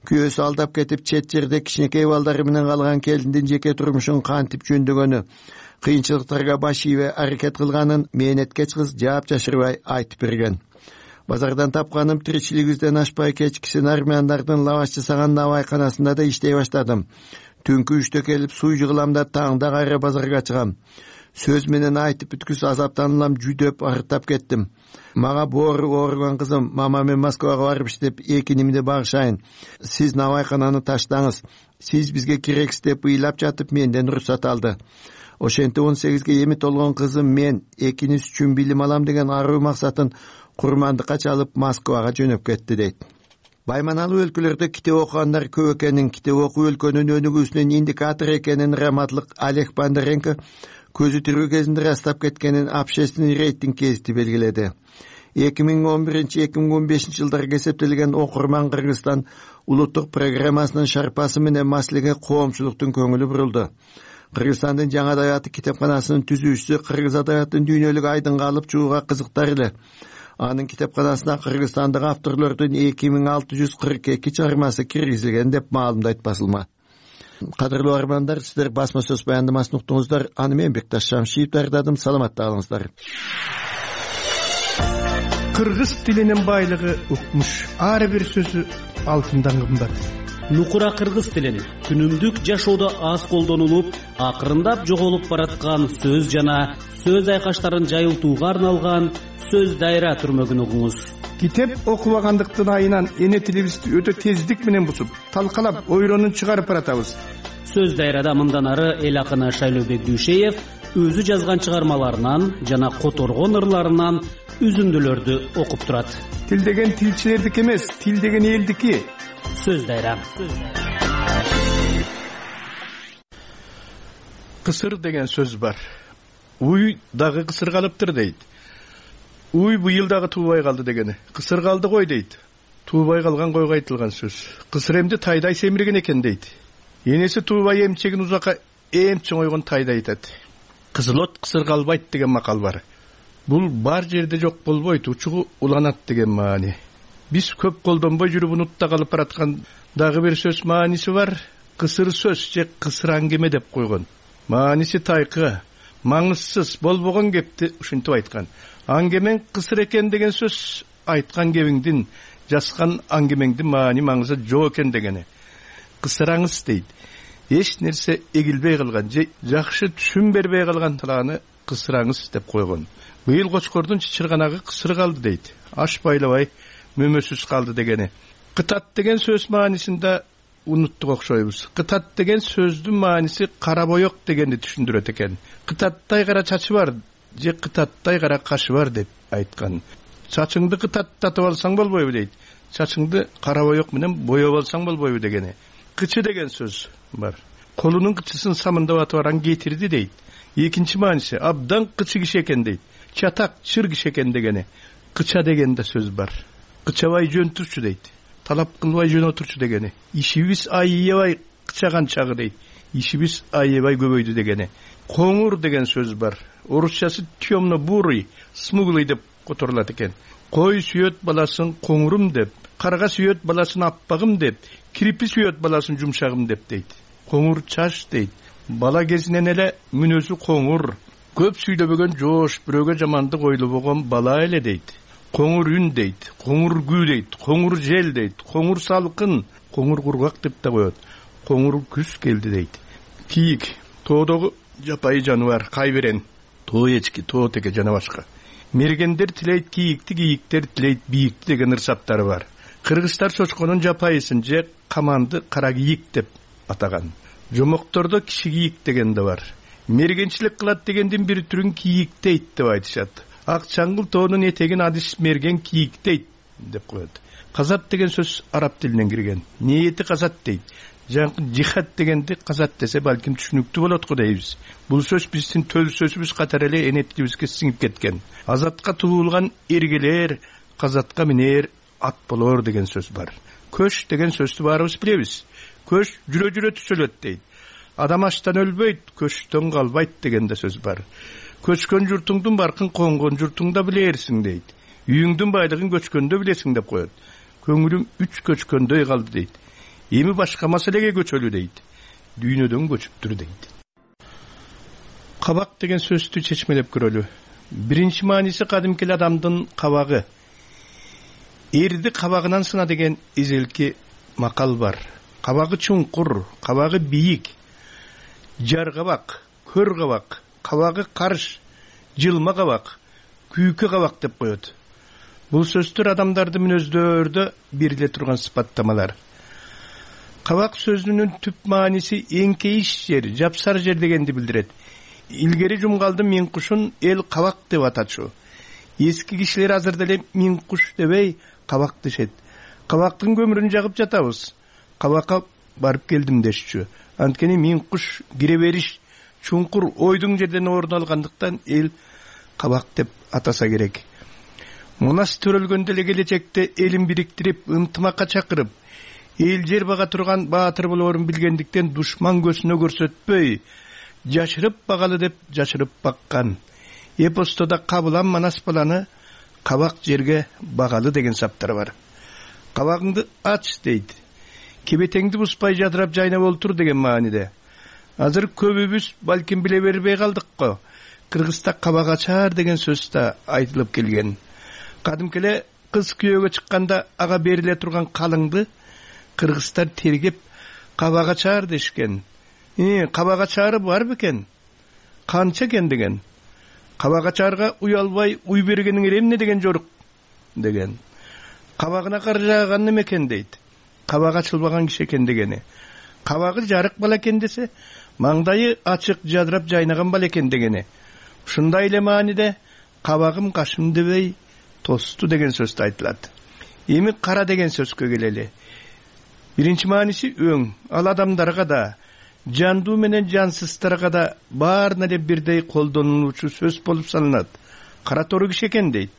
Күйөөсү алдап кетип, чет жерде кичинекей балдары менен калган келиндин жеке турмушун кантип жөндөгөнү, кыйынчылыктарга баш ийбей аракет кылганын мээнеткеч кыз жаап жашырбай айтып берген. Базардан тапканым тиричилигибизден ашпай, кечкисин армяндардын лаваш жасаган навайканасында да иштей баштадым. Түнкү үчтө келип суу жыгылам да таңда кайра базарга чыгам. Сөз менен айтып бүткүс азаптанылам, жүдөп арыттап кеттим. Мага боору ооруган кызым, мама мен Москвага барып иштеп эки нимди багышайын. Сиз навайкананы таштаңыз. Сиз бизге керексиз деп ыйлап жатып менден уруксат алды. Ошентип он сегизге эми толгон кызым мен экиниз үчүн билим алам деген аруу максатын курмандыкка чалып Москвага жөнөп кетти дейт. Байманалуу өлкөлөрдө китеп окугандар көп экенин, китеп окуу өлкөнүн өнүгүүсүнүн индикатору экенин раматлык Олег Бондаренко көзү тирүү кезинде растап кеткенин общественный рейтинг гезити белгиледи. эки миң он биринчи эки миң он бешинчи жылдарга эсептелген окурман Кыргызстан улуттук программасынын шарпасы менен маселеге коомчулуктун көңүлү бурулду. Кыргызстандын жаңы адабияты китепканасынын түзүүчүсү кыргыз адабиятын дүйнөлүк айдынга алып чыгууга кызыктар эле. Анын китепканасына кыргызстандык авторлордун эки миң алты жүз кырк эки чыгармасы киргизилген деп маалымдайт басылма. Кадырлуу армандар, сиздер басма сөз баяндамасын уктуңуздар. Аны мен Бекташ Шамшиев даярдадым. Саламатта калыңыздар. Кыргыз тилинин байлыгы укмуш. Ар бир сөзү алтындан кымбат. Нукура кыргыз тилин күнүмдүк жашоодо аз колдонулуп, акырындап жоголуп бараткан сөз жана сөз айкаштарын жайылтууга арналган сөз дайра түрмөгүн угуңуз. Китеп окубагандыктын айынан эне тилибизди өтө тездик менен бусуп, талкалап, ойронун чыгарып баратабыз. Сөз дайрада мындан ары эл акыны Шайлообек Дүйшеев өзү жазган чыгармаларынан жана которгон ырларынан үзүндүлөрдү окуп турат. Тил деген тилчилердики эмес, тил деген элдики. Сөз дайра. Кысыр деген сөз бар. Уй дагы кысыр калыптыр дейт. Уй быйыл дагы туубай калды дегени. Кысыр калды кой дейт. Туубай калган койго айтылган сөз. Кысыр эмди тайдай семирген экен дейт. Энеси туубай эмчегин узакка эм чоңойгон тайдай айтат. Кызылот кысыр калбайт деген макал бар. Бул бар жерде жок болбойт, учугу уланат деген маани. Биз көп колдонбой жүрүп унутта калып бараткан дагы бир сөз мааниси бар. Кысыр сөз же кысыр аңгеме деп койгон. Мааниси тайкы, маңызсыз болбогон кепти ушинтип айткан. Аңгемен кысыр экен деген сөз айткан кебиңдин, жазган аңгемеңдин маани маңызы жок экен дегени. Кысыраңыз дейт. Эч нерсе эгилбей калган же жакшы түшүн бербей калган талааны кысыраңыз деп койгон. Быйыл кочкордун чычырганагы кысыр калды дейт. Аш байлабай мөмөсүз калды дегени. Кытат деген сөз маанисинде унуттук окшойбуз. Кытат деген сөздүн мааниси кара боек дегенди түшүндүрөт экен. Кытаттай кара чачы бар же кытаттай кара кашы бар деп айткан. Чачыңды кытаттатып алсаң болбойбу дейт. Чачыңды кара боек менен боеп алсаң болбойбу дегени. Кычы деген сөз бар. Колунун кычысын самындап атып аран кетирди дейт. Экинчи мааниси абдан кычы киши экен дейт. Чатак, чыр киши экен дегени. Кыча деген да сөз бар. Кычабай жөн турчу дейт. Талап кылбай жөн отурчу дегени. Ишибиз айыбай кычаган чагы дейт. Ишибиз айыбай көбөйдү дегени. Коңур деген сөз бар. Орусчасы темно бурый, смуглый деп которулат экен. кой сүйөт баласын коңурум деп, карга сүйөт баласын аппагым деп, кирпи сүйөт баласын жумшагым деп дейт. Коңур чаш дейт. Бала кезинен эле мүнөзү коңур, көп сүйлөбөгөн жоош, бирөөгө жамандык ойлобогон бала эле дейт. Коңур үн дейт, коңур күү дейт, коңур жел дейт, коңур салкын, коңур кургак деп да коет. Коңур күз келди дейт. Кийик, тоодогу жапайы жаныбар, кайберен, тоо эчки, тоо теке жана башка. Мергендер тилейт кийикти, кийиктер тилейт бийикти деген ырсаттары бар. Кыргыздар чочконун жапайысын же каманды кара кийик деп атаган. Жомоктордо киши кийик деген да бар. Мергенчилик кылат дегендин бир түрүн кийик дейт деп айтышат. Ак чаңгыл тоонун этегин адис мерген кийик дейт деп коет. Казат деген сөз араб тилинен кирген. Ниети казат дейт. Жихад дегенди казат десе балким түшүнүктүү болот го дейбиз. Бул сөз биздин төл сөзүбүз катары эле энетибизге сиңип кеткен. Азатка туулган эргелер, казатка минер ат болор деген сөз бар. Көч деген сөздү баарыбыз билебиз. Көч жүрө жүрө түзөлөт дейт. Адам аштан өлбөйт, көчтөн калбайт деген да сөз бар. Көчкөн журтуңдун баркын коңгон журтуңда билерсиң дейт. Үйүңдүн байлыгын көчкөндө билесиң деп коет. Көңүлүм үч көчкөндөй калды дейт. Эми башка маселеге көчөлү дейт. Дүйнөдөн көчүптүр дейт. Кабак деген сөздү чечмелеп көрөлү. Биринчи мааниси кадимки адамдын кабагы. Эрди кабагынан сына деген эзелки макал бар. Кабагы чуңкур, кабагы бийик, жар кабак, көр кабак, кабагы карыш, жылма кабак, күйкү кабак деп коет. Бул сөздөр адамдардын мүнөздөрдө бериле турган сыпаттамалар. Кабак сөзүнүн түп мааниси эңкейиш жер, жапсар жер дегенди билдирет. Илгери жумгалдын мин кушун эл кабак деп атачу. Эски кишилер азыр деле мин куш дебей кабак дешет. Кабактын көмүрүн жагып жатабыз. Кабакка барып келдим дешчү. Анткени мин куш кире бериш чуңкур ойдуң жерден орун алгандыктан эл кабак деп атаса керек. Мунас төрөлгөндө эле келечекте элин бириктирип, ынтымакка чакырып, эл жер бага турган баатыр болоорун билгендиктен душман көзүнө көрсөтпөй, жашырып багалы деп жашырып баккан. Эпостода Кабылан Манас баланы кабак жерге багалы деген саптар бар. Кабагыңды ач дейт. Кебетеңди буспай жадырап жайнап олтур деген мааниде. Азыр көбүбүз балким биле бербей калдык го. Кыргызда кабак ачаар деген сөз да айтылып келген. Кадимкеле кыз күйөөгө чыкканда ага бериле турган калыңды кыргыздар тергеп кабак ачаар дешкен. Э, кабак ачаары бар бекен? Канча экен деген. Кабак ачаарга уялбай уй бергениң эмне деген жорук деген. Кабагына кар жааган неме экен дейт. Кабак ачылбаган киши экен дегени. Кабагы жарык бала экен десе, маңдайы ачык жадырап жайнаган бала экен дегени. Ушундай эле мааниде кабагым кашым дебей тосту деген сөз айтылат. Эми кара деген сөзгө келели. Биринчи мааниси өң. Ал адамдарга да, жандуу менен жансыздарга да баарына эле бирдей колдонулуучу сөз болуп саналат. Кара тору киши экен дейт.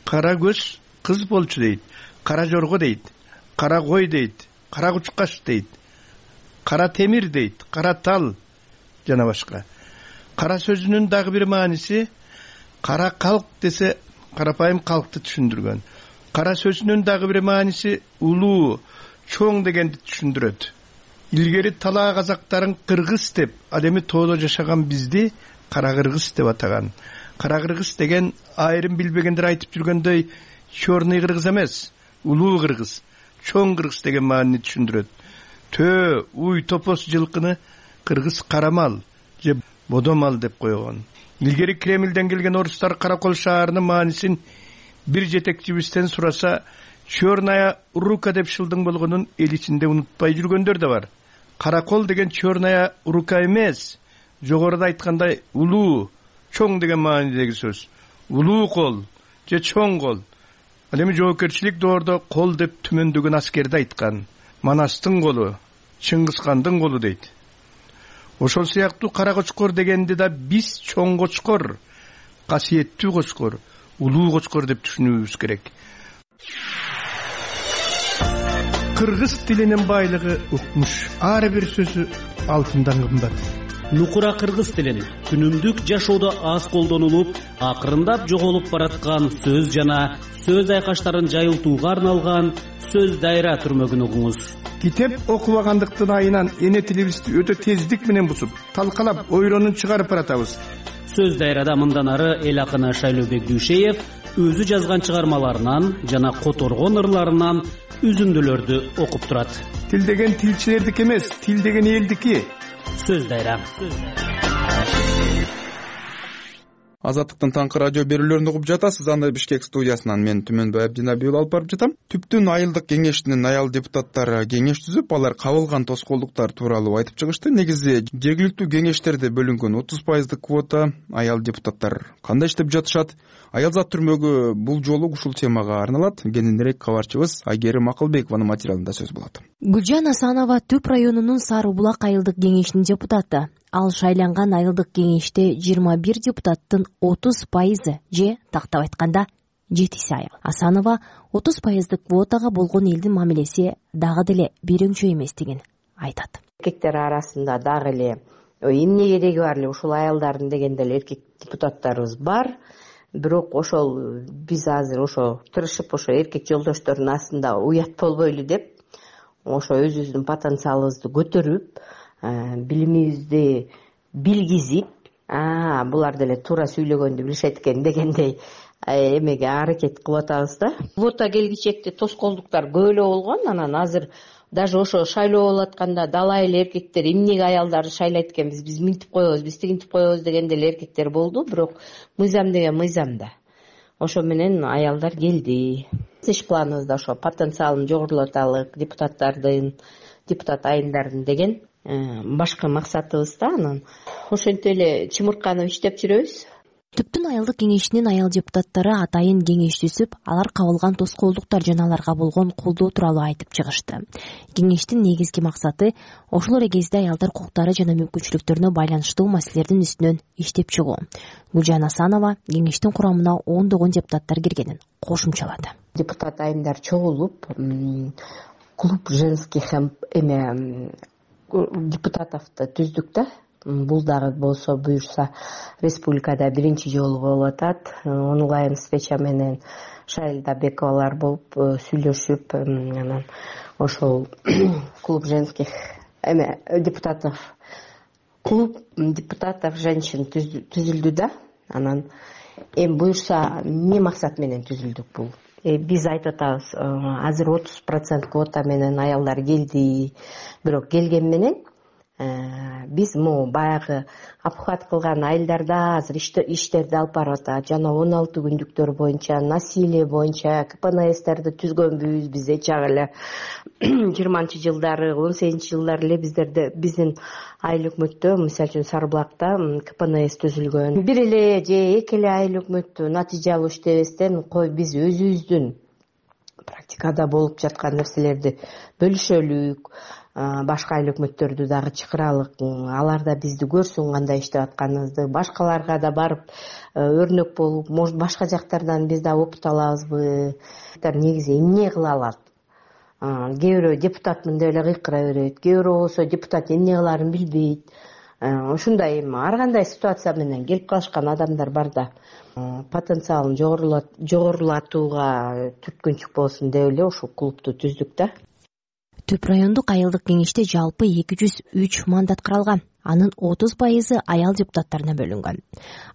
Кара көз кыз болчу дейт. Кара жорго дейт. Кара кой дейт. Кара кучкаш дейт. Кара темир дейт. Кара тал жана башка. Кара сөзүнүн дагы бир мааниси кара калк десе карапайым калкты түшүндүргөн. Кара сөзүнүн дагы бир мааниси улуу, чоң дегенди түшүндүрөт. Илгери талаа казактарын кыргыз деп, ал эми тоодо жашаган бизди кара кыргыз деп атаган. Кара кыргыз деген айрым билбегендер айтып жүргөндөй чорный кыргыз эмес, улуу кыргыз, чоң кыргыз деген маанини түшүндүрөт. Төө, уй, топос жылкыны кыргыз карамал же бодомал деп койгон. Илгери Кремлден келген орустар Каракол шаарынын маанисин бир жетекчибизден сураса, черная рука деп шылдың болгонун эл ичинде унутпай жүргөндөр да бар. Каракол деген черная рука эмес, жогоруда айткандай улуу, чоң деген маанидеги сөз. Улуу кол же чоң кол. Ал эми жоопкерчилик доордо кол деп түмөндөгөн аскерди айткан. Манастын колу, Чыңгызкандын колу дейт. Ошол сыяктуу кара кочкор дегенди да биз чоң кочкор, касиеттүү кочкор, улуу кочкор деп түшүнүүбүз керек. Кыргыз тилинин байлыгы укмуш. Ар бир сөзү алтындан кымбат. нукура кыргыз тилин күнүмдүк жашоодо аз колдонулуп, акырындап жоголуп бараткан сөз жана сөз айкаштарын жайылтууга арналган сөз дайра түрмөгүн угуңуз. Китеп окубагандыктын айынан эне тилибизди өтө тездик менен бузуп, талкалап, ойронун чыгарып баратабыз. Сөз дайрада мындан ары эл акыны Шайлообек Дүйшеев өзү жазган чыгармаларынан жана которгон ырларынан үзүндүлөрдү окуп турат. Тил деген тилчилердики эмес, тил деген элдики. Сөз дайра. Азаттыктын таңкы радио берүүлөрүн угуп жатасыз. Анда Бишкек студиясынан мен Түмөнбай Абдинабиев алып барып жатам. Түптүн айылдык кеңештин аял депутаттары кеңеш түзүп, алар кабылган тоскоолдуктар тууралуу айтып чыгышты. Негизи жергиликтүү кеңештерде бөлүнгөн отуз пайыздык квота аял депутаттар кандай иштеп жатышат? Аял зат түрмөгү бул жолу ушул темага арналат. Кененирээк кабарчыбыз Айгерим Акылбекованын материалында сөз болот. Гүлжан Асанова Түп районунун Сары булак айылдык кеңешинин депутаты. Ал шайланган айылдык кеңеште жыйырма бир депутаттын отуз пайызы же тактап айтканда жетиси аял. Асанова отуз пайыздык квотага болгон элдин мамилеси дагы деле берөңчө эместигин айтат. Эркектер арасында дагы эле эмне кереги бар эле ушул аялдардын дегенде эле эркек депутаттарыбыз бар. Бирок ошол биз азыр ошо тырышып ошо эркек жолдоштордун астында уят болбойлу деп ошо өзүбүздүн потенциалыбызды көтөрүп, билимибизди билгизип, булар деле туура сүйлөгөндү билишет экен дегендей эмеге аракет кылып атабыз да. Квота келгичекте тоскоолдуктар көп эле болгон. Анан азыр даже ошо шайлоо болуп атканда далай эле эркектер эмнеге аялдарды шайлайт экенбиз, биз минтип коебуз, биз тигинтип коебуз дегенде эле эркектер болду. Бирок мыйзам деген мыйзам да. Ошо менен аялдар келди. Иш планыбызда ошо потенциалын жогорулаталы депутаттардын, депутат айымдардын деген башкы максатыбыз да. Анан ошентип эле чымырканып иштеп жүрөбүз. Түптүн айылдык кеңешинин аял депутаттары атайын кеңеш түзүп, алар кабылган тоскоолдуктар жана аларга болгон колдоо тууралуу айтып чыгышты. Кеңештин негизги максаты ошол эле кезде аялдар укуктары жана мүмкүнчүлүктөрүнө байланыштуу маселелердин үстүнөн иштеп чыгуу. Гүлжан Асанова кеңештин курамына ондогон депутаттар киргенин кошумчалады. Депутат айымдар чогулуп, клуб женских эме депутатовду түздүк да. Бул дагы болсо буюрса республикада биринчи жолу болуп атат. Онлайн встреча менен Шайлда Бековалар болуп сүйлөшүп, анан ошол клуб женских эме депутатов клуб депутатов женщин түзүлдү да. Анан эми буюрса эмне максат менен түзүлдүк бул? Биз айтып атабыз, азыр отуз процент квота менен аялдар келди. Бирок келген менен биз могу баягы обхват кылган айылдарда азыр иштерди алып барып атат. Жана он алты күндүктөр боюнча, насилие боюнча ка пэ эн эстерди түзгөнбүз. Биз чак эле жыйырманчы жылдары, он сегизинчи жылдары эле биздерде биздин айыл өкмөттө, мисалы үчүн Сары булакта ка пэ эн эс түзүлгөн. Бир эле же эки эле айыл өкмөттү натыйжа алуу иштебестен, кой биз өзүбүздүн практикада болуп жаткан нерселерди бөлүшөлүк, башка айыл өкмөттөрдү дагы чакыралык, алар да бизди көрсүн кандай иштеп атканыбызды, башкаларга да барып өрнөк болуп, может башка жактардан биз да опыт алабызбы. Негизи эмне кыла алат? Кээ бирөө депутатмын деп эле кыйкыра берет, кээ бирөө болсо депутат эмне кылаарын билбейт. Ушундай эми ар кандай ситуация менен келип калышкан адамдар бар да. Потенциалын жогорулатууга түрткүнчүк болсун деп эле ушул клубду түздүк да. Түп райондук айылдык кеңеште жалпы эки жүз үч мандат каралган. Анын отуз пайызы аял депутаттарына бөлүнгөн.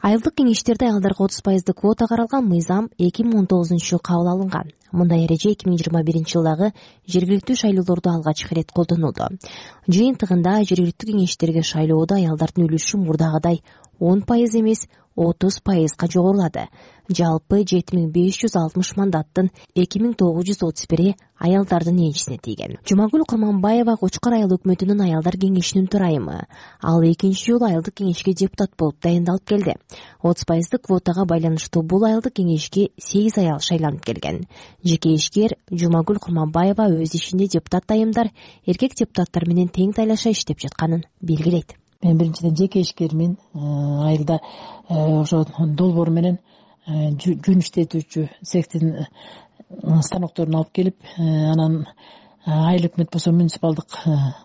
Айылдык кеңештерде аялдарга отуз пайыздык квота каралган мыйзам эки миң он тогузунчу жылы кабыл алынган. Мындай эреже эки миң жыйырма биринчи жылдагы жергиликтүү шайлоолордо алгач ирет колдонулду. Жыйынтыгында жергиликтүү кеңештерге шайлоодо аялдардын үлүшү мурдагыдай он пайыз эмес, отуз пайызга жогорулады. Жалпы жети миң беш жүз алтымыш мандаттын эки миң тогуз жүз отуз бири аялдардын энчисине тийген. Жумагүл Курманбаева Кочкор айыл өкмөтүнүн аялдар кеңешинин төрайымы. Ал экинчи жолу айылдык кеңешке депутат болуп дайындалып келди. отуз пайыздык квотага байланыштуу бул айылдык кеңешке сегиз аял шайланып келген. Жеке ишкер Жумагүл Курманбаева өз ишинде депутат айымдар эркек депутаттар менен тең тайлаша иштеп жатканын белгилейт. Мен биринчиден жеке ишкермин. Айылда ошо долбоор менен жүн иштетүүчү цехтин станокторун алып келип, анан айыл өкмөт болсо муниципалдык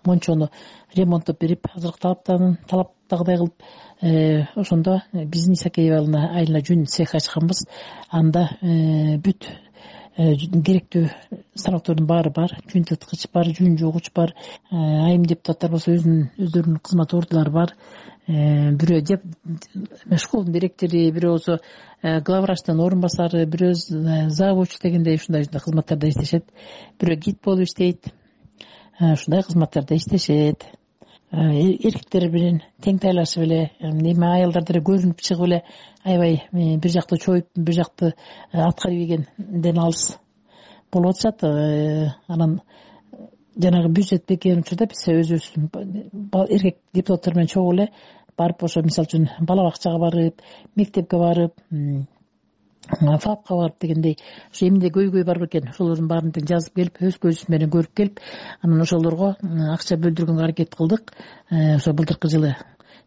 мончону ремонттоп берип, азыркы талаптарын ушундагыдай кылып ошондо биздин Исакеева айылына жүн цех ачканбыз. Анда бүт керектүү станоктордун баары бар, жүн тыткыч бар, жүн жугуч бар. Айым депутаттар болсо өзүнүн өздөрүнүн кызмат ордулары бар. Бирөө школдун директору, бирөө болсо главврачтын орун басары, бирөө завуч дегендей ушундай кызматтарда иштешет. Бирөө гид болуп иштейт. Ушундай кызматтарда иштешет. Эркектер менен тең тайлашып эле, эми аялдар деле көрүнүп чыгып эле аябай бир жакты чоюп, бир жакты аткарып ийгенден алыс болуп атышат. Анан жанагы бюджет бекем учурда биз өзүбүз эркек депутаттар менен чогуу эле барып, ошо мисалы үчүн бала бакчага барып, мектепке барып, фапка барып дегендей ошо эмне көйгөй бар экен, ошолордун баарын тең жазып келип, өз көзүбүз менен көрүп келип, анан ошолорго акча бөлдүргөнгө аракет кылдык. Ошо былтыркы жылы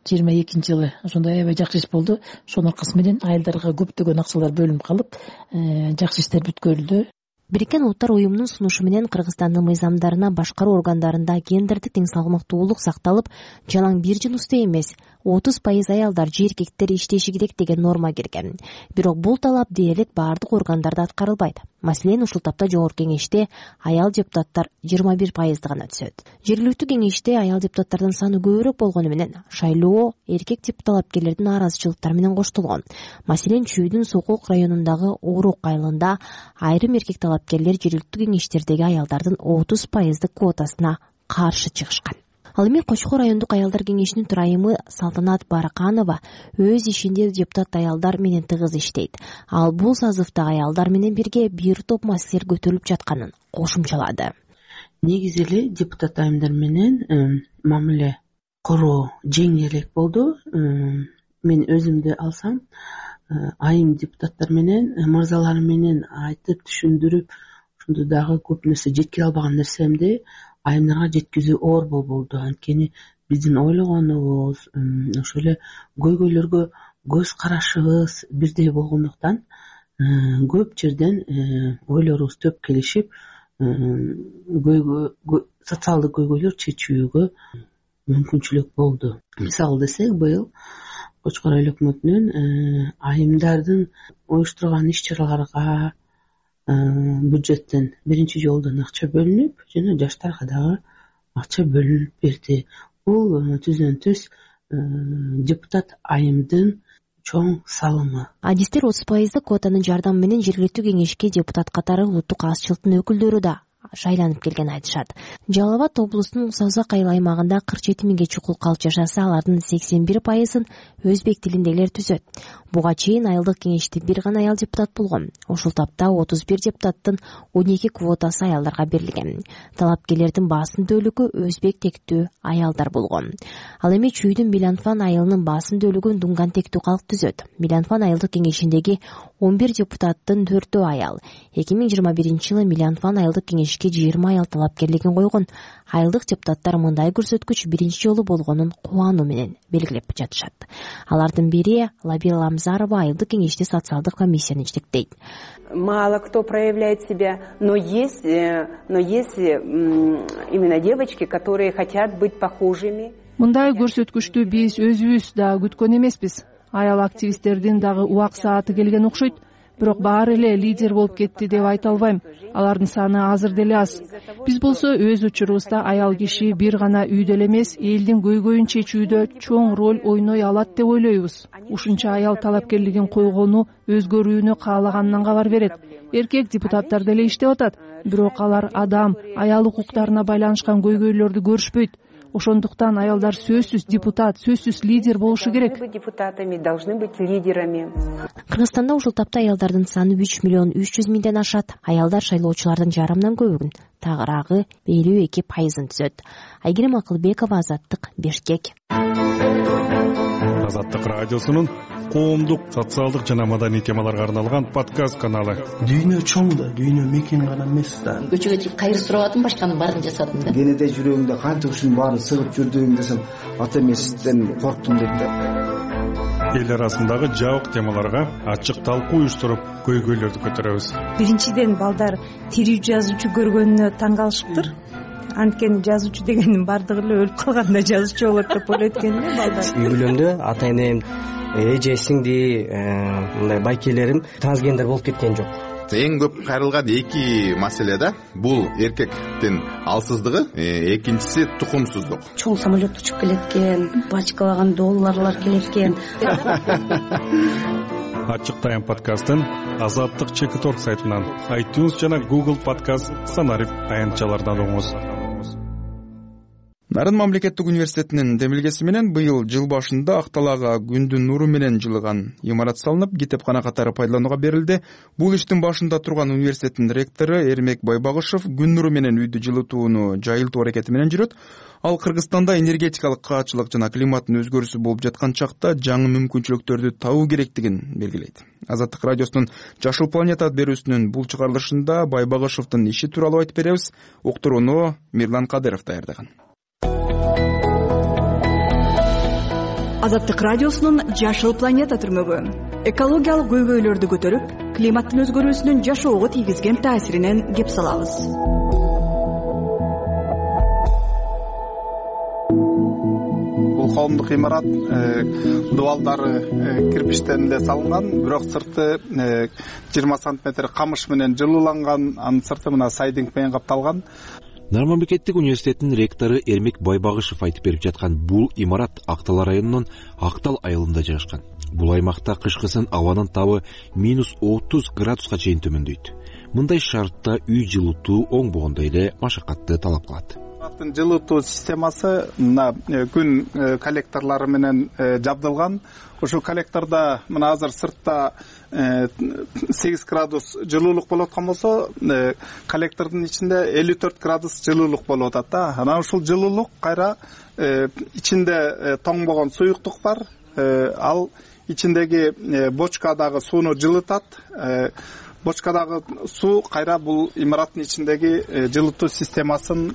жыйырма экинчи жылы ошондой аябай жакшы иш болду. Ошонун аркасы менен айылдарга көптөгөн акчалар бөлүнүп калып, жакшы иштер бүткөрүлдү. Бириккен Улуттар уюмунун сунушу менен Кыргызстандын мыйзамдарына башкаруу органдарында гендердик тең салмактуулук сакталып, жалаң бир жыныстуу эмес отуз пайыз аялдар же эркектер иштеши керек деген норма кирген. Бирок бул талап дээрлик баардык органдарда аткарылбайт. Маселен, ушул тапта жогорку кеңеште аял депутаттар жыйырма бир пайызды гана түзөт. Жергиликтүү кеңеште аял депутаттардын саны көбүрөөк болгону менен шайлоо эркек талапкерлердин нааразычылыктары менен коштолгон. Маселен, Чүйдүн Сокулук районундагы Оорук айылында айрым эркек талапкерлер жергиликтүү кеңештердеги аялдардын отуз пайыздык квотасына каршы чыгышкан. Ал эми Кочкор райондук аялдар кеңешинин төрайымы Салтанат Бараканова өз ишинде депутат аялдар менен тыгыз иштейт. Ал бул сазывда аялдар менен бирге бир топ маселелер көтөрүлүп жатканын кошумчалады. Негизи эле депутат айымдар менен мамиле короо жеңилирээк болду. Мен өзүмдү алсам, айым депутаттар менен мырзалар менен айтып түшүндүрүп, ошондо дагы көп нерсе жеткире албаган нерсемди айымдарга жеткизүү оор болду. Анткени биздин ойлогонубуз, ошол эле көйгөйлөргө көз карашыбыз бирдей болгондуктан көп жерден ойлорубуз төп келишип, социалдык көйгөйлөр чечүүгө мүмкүнчүлүк болду. Мисалы десек, быйыл Кочкор айыл өкмөтүнүн айымдардын уюштурган иш-чараларга бюджеттен биринчи жолдон акча бөлүнүп, жана жаштарга дагы акча бөлүнүп берди. Бул түздөн түз депутат айымдын чоң салымы. Адистер отуз пайыздык квотанын жардамы менен жергиликтүү кеңешке депутат катары улуттук азчылыктын өкүлдөрү да шайланып келген айтышат. Жалал Абад облусунун Созак айыл аймагында кырк жети миңге чукул калп жашаса, алардын сексен бир пайызын өзбек тилиндегилер түзөт. Буга чейин айылдык кеңеште бир гана аял депутат болгон. Ошол тапта отуз бир депутаттын он эки квотасы аялдарга берилген. Талапкерлердин басым бөлүгү өзбек тектүү аялдар болгон. Ал эми Чүйдүн Миланфан айылынын басым бөлүгүн Дунган тектүү калк түзөт. Миланфан айылдык кеңешиндеги он бир депутаттын төртөө аял. эки миң жыйырма биринчи жылы Миланфан айылдык кеңешке жыйырма аял талапкерлигин койгон. Айылдык депутаттар мындай көрсөткүч биринчи жолу болгонун кубануу менен белгилеп жатышат. Алардын бири Лабира Ламзарова айылдык кеңеште социалдык комиссияны жетектейт. Мало кто проявляет себя, но есть, но есть именно девочки, которые хотят быть похожими. Мындай көрсөткүчтү биз өзүбүз да күткөн эмеспиз. Аял активисттердин дагы убак сааты келген окшойт. Бирок баары эле лидер болуп кетти деп айта албайм. Алардын саны азыр деле аз. Биз болсо өз учурубузда аял киши бир гана үйдө эле эмес, элдин көйгөйүн чечүүдө чоң роль ойной алат деп ойлойбуз. Ушунча аял талапкерлигин койгону өзгөрүүнү каалаганынан кабар берет. Эркек депутаттар деле иштеп атат, бирок алар адам, аял укуктарына байланышкан көйгөйлөрдү көрүшпөйт. Ошондуктан аялдар сөзсүз депутат, сөзсүз лидер болушу керек. Депутатами должны быть лидерами. Кыргызстанда ушул тапта аялдардын саны үч миллион үч жүз миңден ашат. Аялдар шайлоочулардын жарымынан көбүн, тагыраагы элүү эки пайызын түзөт. Айгерим Акылбекова, Азаттык, Бишкек. Азаттык радиосунун коомдук, социалдык жана маданий темаларга арналган подкаст каналы. Дүйнө чоң да, дүйнө мекен гана эмес да. Көчөгө чыгып кайыр сурабадым, башканын баарын жасадым да. Кенеде жүрөгүмдө канча ушунун баары сыгып жүрдүм десем, ата эмесизден корктум дейт да. Эл арасындагы жабык темаларга ачык талкуу уюштуруп, көйгөйлөрдү көтөрөбүз. Биринчиден балдар тирүү жазуучу көргөнүнө таң калышыптыр. анткени жазуучу дегенин баардыгы эле өлүп калганда жазуучу болот деп ойлойт экен да балдар. Үй бүлөмдө ата энем, эже, сиңди, мындай байкелерим трансгендер болуп кеткен жок. Эң көп кайрылган эки маселе да, бул эркектин алсыздыгы, экинчиси тукумсуздук. Чоң самолет учуп келет экен, бачкалаган долларлар келет экен. Ачык Тайм подкастын Азаттык чекит точка орг сайтынан, iTunes жана Google подкаст санарип аянтчалардан угуңуз. Нарын мамлекеттик университетинин демилгеси менен быйыл жыл башында Акталага күндүн нуру менен жылыган имарат салынып, китепкана катары пайдаланууга берилди. Бул иштин башында турган университеттин ректору Эрмек Байбагышев күн нуру менен үйдү жылытууну жайылтуу аракети менен жүрөт. Ал Кыргызстанда энергетикалык каачылык жана климаттын өзгөрүүсү болуп жаткан чакта жаңы мүмкүнчүлүктөрдү табуу керектигин белгилейт. Азаттык радиосунун Жашыл планета берүүсүнүн бул чыгарылышында Байбагышевдин иши тууралуу айтып беребиз. Уктурууну Мирлан Кадыров даярдаган. Азаттык радиосунун Жашыл планета түрмөгү экологиялык көйгөйлөрдү көтөрүп, климаттын өзгөрүүсүнүн жашоого тийгизген таасиринен кеп салабыз. Бул коомдук имарат дубалдары кирпичтен эле салынган, бирок сырты жыйырма сантиметр камыш менен жылууланган, анын сырты мына сайдинг менен капталган. Нарын мамлекеттик университетинин ректору Эрмек Байбагышев айтып берип жаткан бул имарат Актал районунун Актал айылында жайгашкан. Бул аймакта кышкысын абанын табы минус отуз градуска чейин төмөндөйт. Мындай шартта үй жылытуу оңбогондой эле машакатты талап кылат. Жылытуу системасы мына күн коллекторлору менен жабдылган. Ушул коллектордо мына азыр сыртта сегиз градус жылуулук болуп аткан болсо, коллектордун ичинде элүү төрт градус жылуулук болуп атат да. Анан ушул жылуулук кайра ичинде тоңбогон суюктук бар. Ал ичиндеги бочкадагы сууну жылытат. Бочкадагы суу кайра бул имараттын ичиндеги жылытуу системасын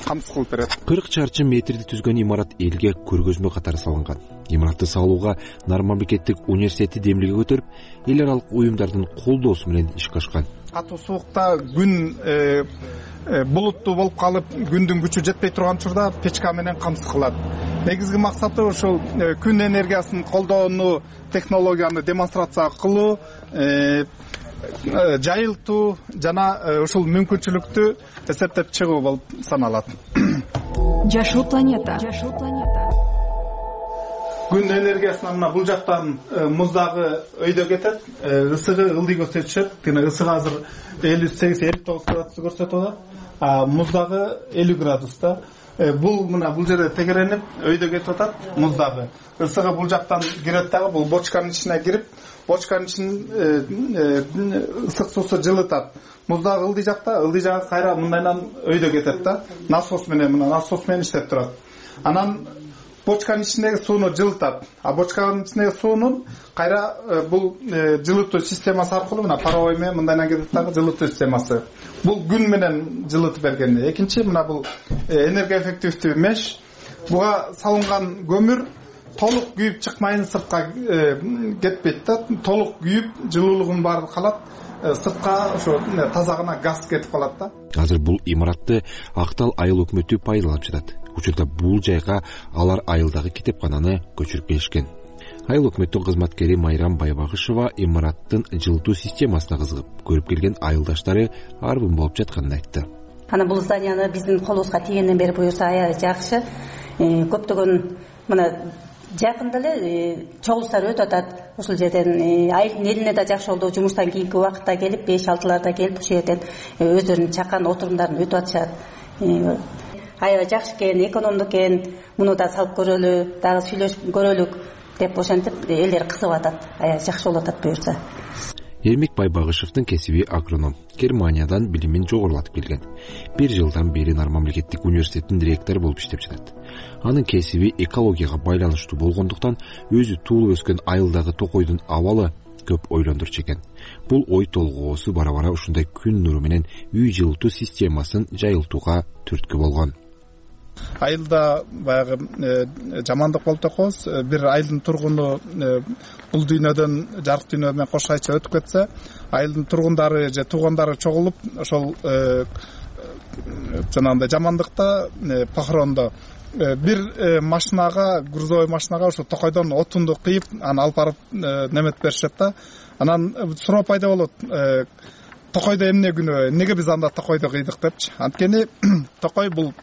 камсыз кылып берет. кырк чарчы метрди түзгөн имарат элге көргөзмө катары салынган. Имаратты салууга Нарын мамлекеттик университети демилге көтөрүп, эл аралык уюмдардын колдоосу менен ишке ашкан. Катуу суукта күн булуттуу болуп калып, күндүн күчү жетпей турган учурда печка менен камсыз кылат. Негизги максаты ошол күн энергиясын колдоону, технологияны демонстрация кылуу, жайылтуу жана ушул мүмкүнчүлүктү эсептеп чыгуу болуп саналат. Жашыл планета. Күн энергиясына мына бул жактан муздагы өйдө кетет, ысыгы ылдый көрсөтүшөт. Кene ысыгы азыр элүү сегиз элүү тогуз градус көрсөтүп атат. А муздагы элүү градуста. Бул мына бул жерде тегеренип өйдө кетип атат муздагы. Ысыгы бул жактан кирет дагы, бул бочканын ичине кирип, бочканын ичин ысык суусу жылытат. Муздагы ылдый жакта, ылдый жагы кайра мындайдан өйдө кетет да. Насос менен, мына насос менен иштеп турат. Анан бочканын ичиндеги сууну жылытат. А бочканын ичиндеги суунун кайра бул жылытуу системасы аркылуу мына паровой менен мындайдан кетет дагы жылытуу системасы. Бул күн менен жылытып берген. Экинчи мына бул энергия эффективдүү меш. Буга салынган көмүр толук күйүп чыкмайын, сыртка кетпейт да. Толук күйүп жылуулугун баары калат. Сыртка ошо таза гана газ кетип калат да. Азыр бул имаратты Актал айыл өкмөтү пайдаланып жатат. Учурда бул жайга алар айылдагы китепкананы көчүрүп келишкен. Айыл өкмөттүн кызматкери Майрам Байбагышева имараттын жылытуу системасына кызыгып, көрүп келген айылдаштары арбын болуп жатканын айтты. Ана бул зданияны биздин колубузга тийгенден бери буюрса аябай жакшы. Көптөгөн мына жакында эле чогулуштар өтүп атат. Ушул жерден айылдын элине да жакшы болду. Жумуштан кийинки убакытта келип, беш алтыларда келип, ушул жерден өздөрүнүн чакан отурумдарын өтүп атышат. Аябай жакшы экен, экономдуу экен. Муну да салып көрөлү, дагы сүйлөшүп көрөлүк деп ошентип элдер кызыгып атат. Аябай жакшы болуп атат буюрса. Эрмек Байбагышевдин кесиби агроном, Германиядан билимин жогорулатып келген. Бир жылдан бери Нарын мамлекеттик университетинин директору болуп иштеп жатат. Анын кесиби экологияга байланыштуу болгондуктан өзү туулуп өскөн айылдагы токойдун абалы көп ойлондурчу экен. Бул ой толгоосу бара-бара ушундай күн нуру менен үй жылытуу системасын жайылтууга түрткү болгон. Айылда баягы жамандык болуп атабыз. Бир айылдын тургуну бул дүйнөдөн жарык дүйнө менен кош айча өтүп кетсе, айылдын тургундары же туугандары чогулуп ошол жанагындай жамандыкта похорондо бир машинага, грузовой машинага ошо токойдон отунду кыйып аны алып барып неметип беришет да. Анан суроо пайда болот, токойдо эмне күнөө, эмнеге биз анда токойдо кыйдык депчи. Анткени токой бул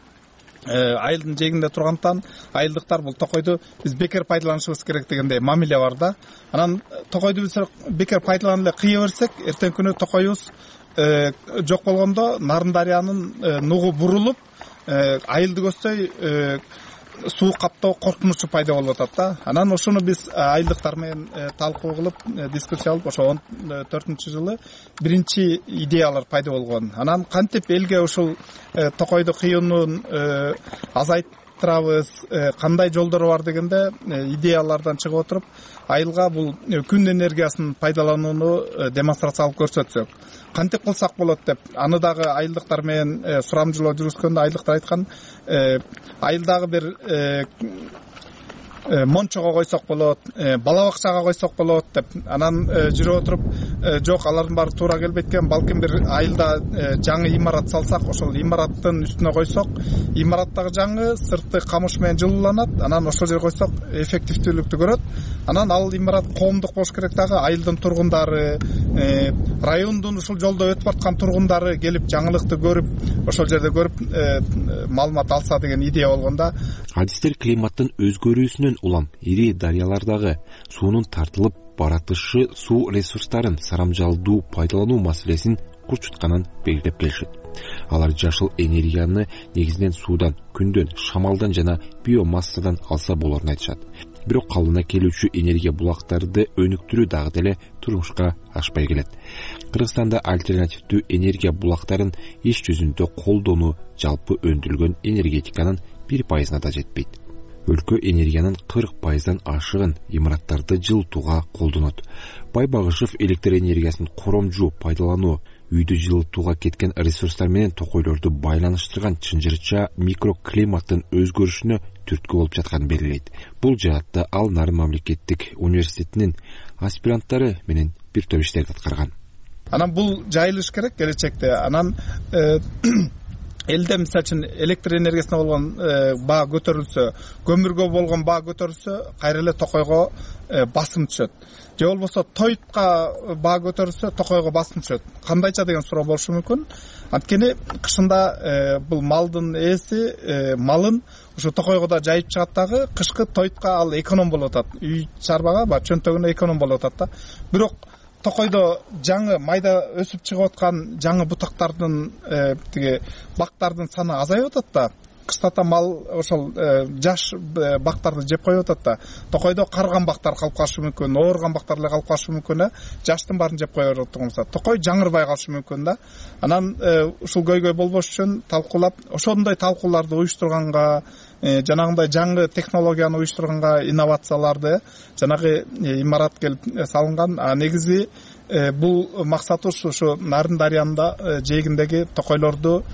айылдын жээгинде тургандыктан айылдыктар бул токойду биз бекер пайдаланышыбыз керек дегендей мамиле бар да. Анан токойду биз бекер пайдаланып эле кыя берсек, эртеңки күнү токойубуз жок болгондо Нарын дарыянын нугу бурулуп айылды көздөй суу каптоо коркунучу пайда болуп атат да. Анан ошону биз айылдыктар менен талкуу кылып, дискуссия кылып, ошо он төртүнчү жылы биринчи идеялар пайда болгон. Анан кантип элге ушул токойду кыюунун азайттырабыз, кандай жолдору бар дегенде идеялардан чыгып отуруп, айылга бул күн энергиясын пайдаланууну демонстрациялап көрсөтсөк, кантип кылсак болот деп, аны дагы айылдыктар менен сурамжылоо жүргүзгөндө айылдыктар айткан, айылдагы бир мончого койсок болот, бала бакчага койсок болот деп. Анан жүрүп отуруп, жок, алардын баары туура келбейт экен, балким бир айылда жаңы имарат салсак, ошол имараттын үстүнө койсок, имараттагы жаңы сырты камыш менен жылууланат, анан ошол жерге койсок эффективдүүлүктү көрөт. Анан ал имарат коомдук болуш керек дагы, айылдын тургундары, райондун ушул жолдо өтүп аткан тургундары келип жаңылыкты көрүп, ошол жерде көрүп маалымат алса деген идея болгонда. Адистер климаттын өзгөрүүсүнөн улам ири дарыялардагы суунун тартылып баратышы суу ресурстарын сарамжалдуу пайдалануу маселесин курчутканын белгилеп келишет. Алар жашыл энергияны негизинен суудан, күндөн, шамалдан жана биомассадан алса болорун айтышат. Бирок калыбына келүүчү энергия булактарды өнүктүрүү дагы деле турмушка ашпай келет. Кыргызстанда альтернативдүү энергия булактарын иш жүзүндө колдонуу жалпы өндүрүлгөн энергетиканын бир пайызына да жетпейт. Өлкө энергиянын кырк пайыздан ашыгын имараттарды жылытууга колдонот. Байбагышев электр энергиясын коромжу пайдалануу үйдү жылытууга кеткен ресурстар менен токойлорду байланыштырган чынжырча микроклиматтын өзгөрүшүнө түрткү болуп жатканын белгилейт. Бул жаатта ал Нарын мамлекеттик университетинин аспиранттары менен бир топ иштерди аткарган. Анан бул жайылыш керек келечекте. Анан элде мисалы үчүн электр энергиясына болгон баа көтөрүлсө, көмүргө болгон баа көтөрүлсө, кайра эле токойго басым түшөт. Же болбосо тойтка баа көтөрүлсө, токойго басым түшөт. Кандайча деген суроо болушу мүмкүн. Анткени кышында бул малдын ээси малын ушу токойго да жайып чыгат дагы, кышкы тойтка ал эконом болуп атат. Үй чарбага ба чөнтөгүнө эконом болуп атат да. Бирок токойдо жаңы майда өсүп чыгып аткан жаңы бутактардын тиги бактардын саны азайып атат да. Кыштата мал ошол жаш бактарды жеп коюп атат да. Токойдо карыган бактар калып калышы мүмкүн, ооруган бактар эле калып калышы мүмкүн, жаштын баарын жеп кое берип турганса, токой жаңырбай калышы мүмкүн да. Анан ушул көйгөй болбош үчүн талкуулап, ошондой талкууларды уюштурганга, жанагындай жаңы технологияны уюштурганга, инновацияларды, жанагы имарат келип салынган. А негизи бул максаты ушу Нарын дарыянында жээгиндеги токойлорду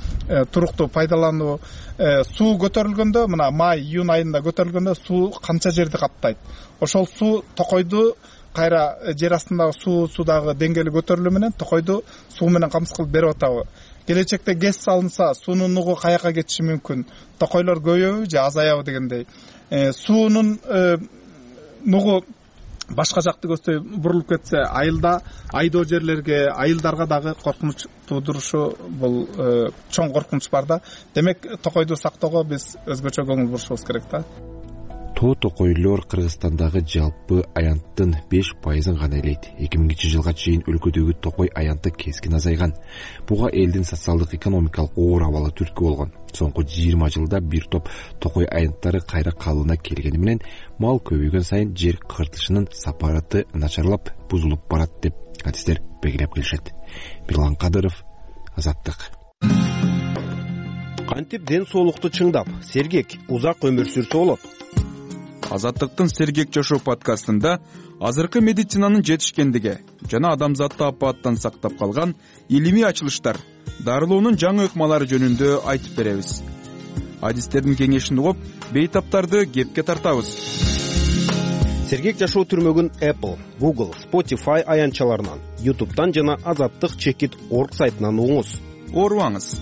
туруктуу пайдалануу. Суу көтөрүлгөндө, мына май, июнь айында көтөрүлгөндө суу канча жерди каптайт. Ошол суу токойду кайра жер астындагы суу судагы деңгээли көтөрүлүү менен токойду суу менен камсыз кылып берип атабы. Келечекте ГЭС салынса, суунун нугу каяка кетиши мүмкүн, токойлор көбөйөбү же азаябы дегендей. Суунун нугу башка жакты көздөй бурулуп кетсе, айылда айдоо жерлерге, айылдарга дагы коркунуч туудурушу бул чоң коркунуч бар да. Демек, токойду сактоого биз өзгөчө көңүл бурушубуз керек да. Тоо токойлор Кыргызстандагы жалпы аянттын беш пайызын гана элейт. эки миңинчи жылга чейин өлкөдөгү токой аянты кескин азайган. Буга элдин социалдык экономикалык оор абалы түрткү болгон. Соңку жыйырма жылда бир топ токой аянттары кайра калыбына келгени менен мал көбөйгөн сайын жер кыртышынын сапараты начарлап, бузулуп барат деп адистер белгилеп келишет. Мирлан Кадыров, Азаттык. Кантип ден соолукту чыңдап, сергек, узак өмүр сүрсө болот? Азаттыктын Сергек жашоо подкастында азыркы медицинанын жетишкендиги жана адамзатты апааттан сактап калган илимий ачылыштар, дарылоонун жаңы ыкмалары жөнүндө айтып беребиз. Адистердин кеңешин угуп, бейтаптарды кепке тартабыз. Сергек жашоо түрмөгүн Apple, Google, Spotify аянтчаларынан, YouTube'дан жана азаттык чекит точка орг сайтынан угуңуз. Оорубаңыз.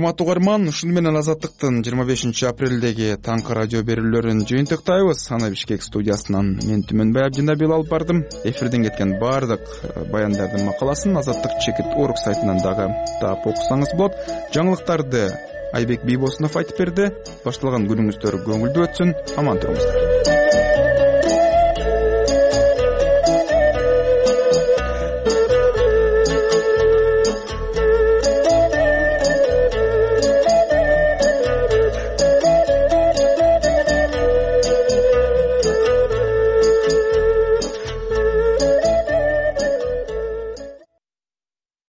урматтуу угарман, ушуну менен Азаттыктын жыйырма бешинчи апрелдеги таңкы радио берүүлөрүн жыйынтыктайбыз. Аны Бишкек студиясынан мен Түмөнбай Абдинабил алып бардым. Эфирден кеткен баардык баяндардын макаласын Азаттык чекит орг сайтынан дагы таап окусаңыз болот. Жаңылыктарды Айбек Бийбосунов айтып берди. Башталган күнүңүздөр көңүлдүү өтсүн. Аман туруңуздар.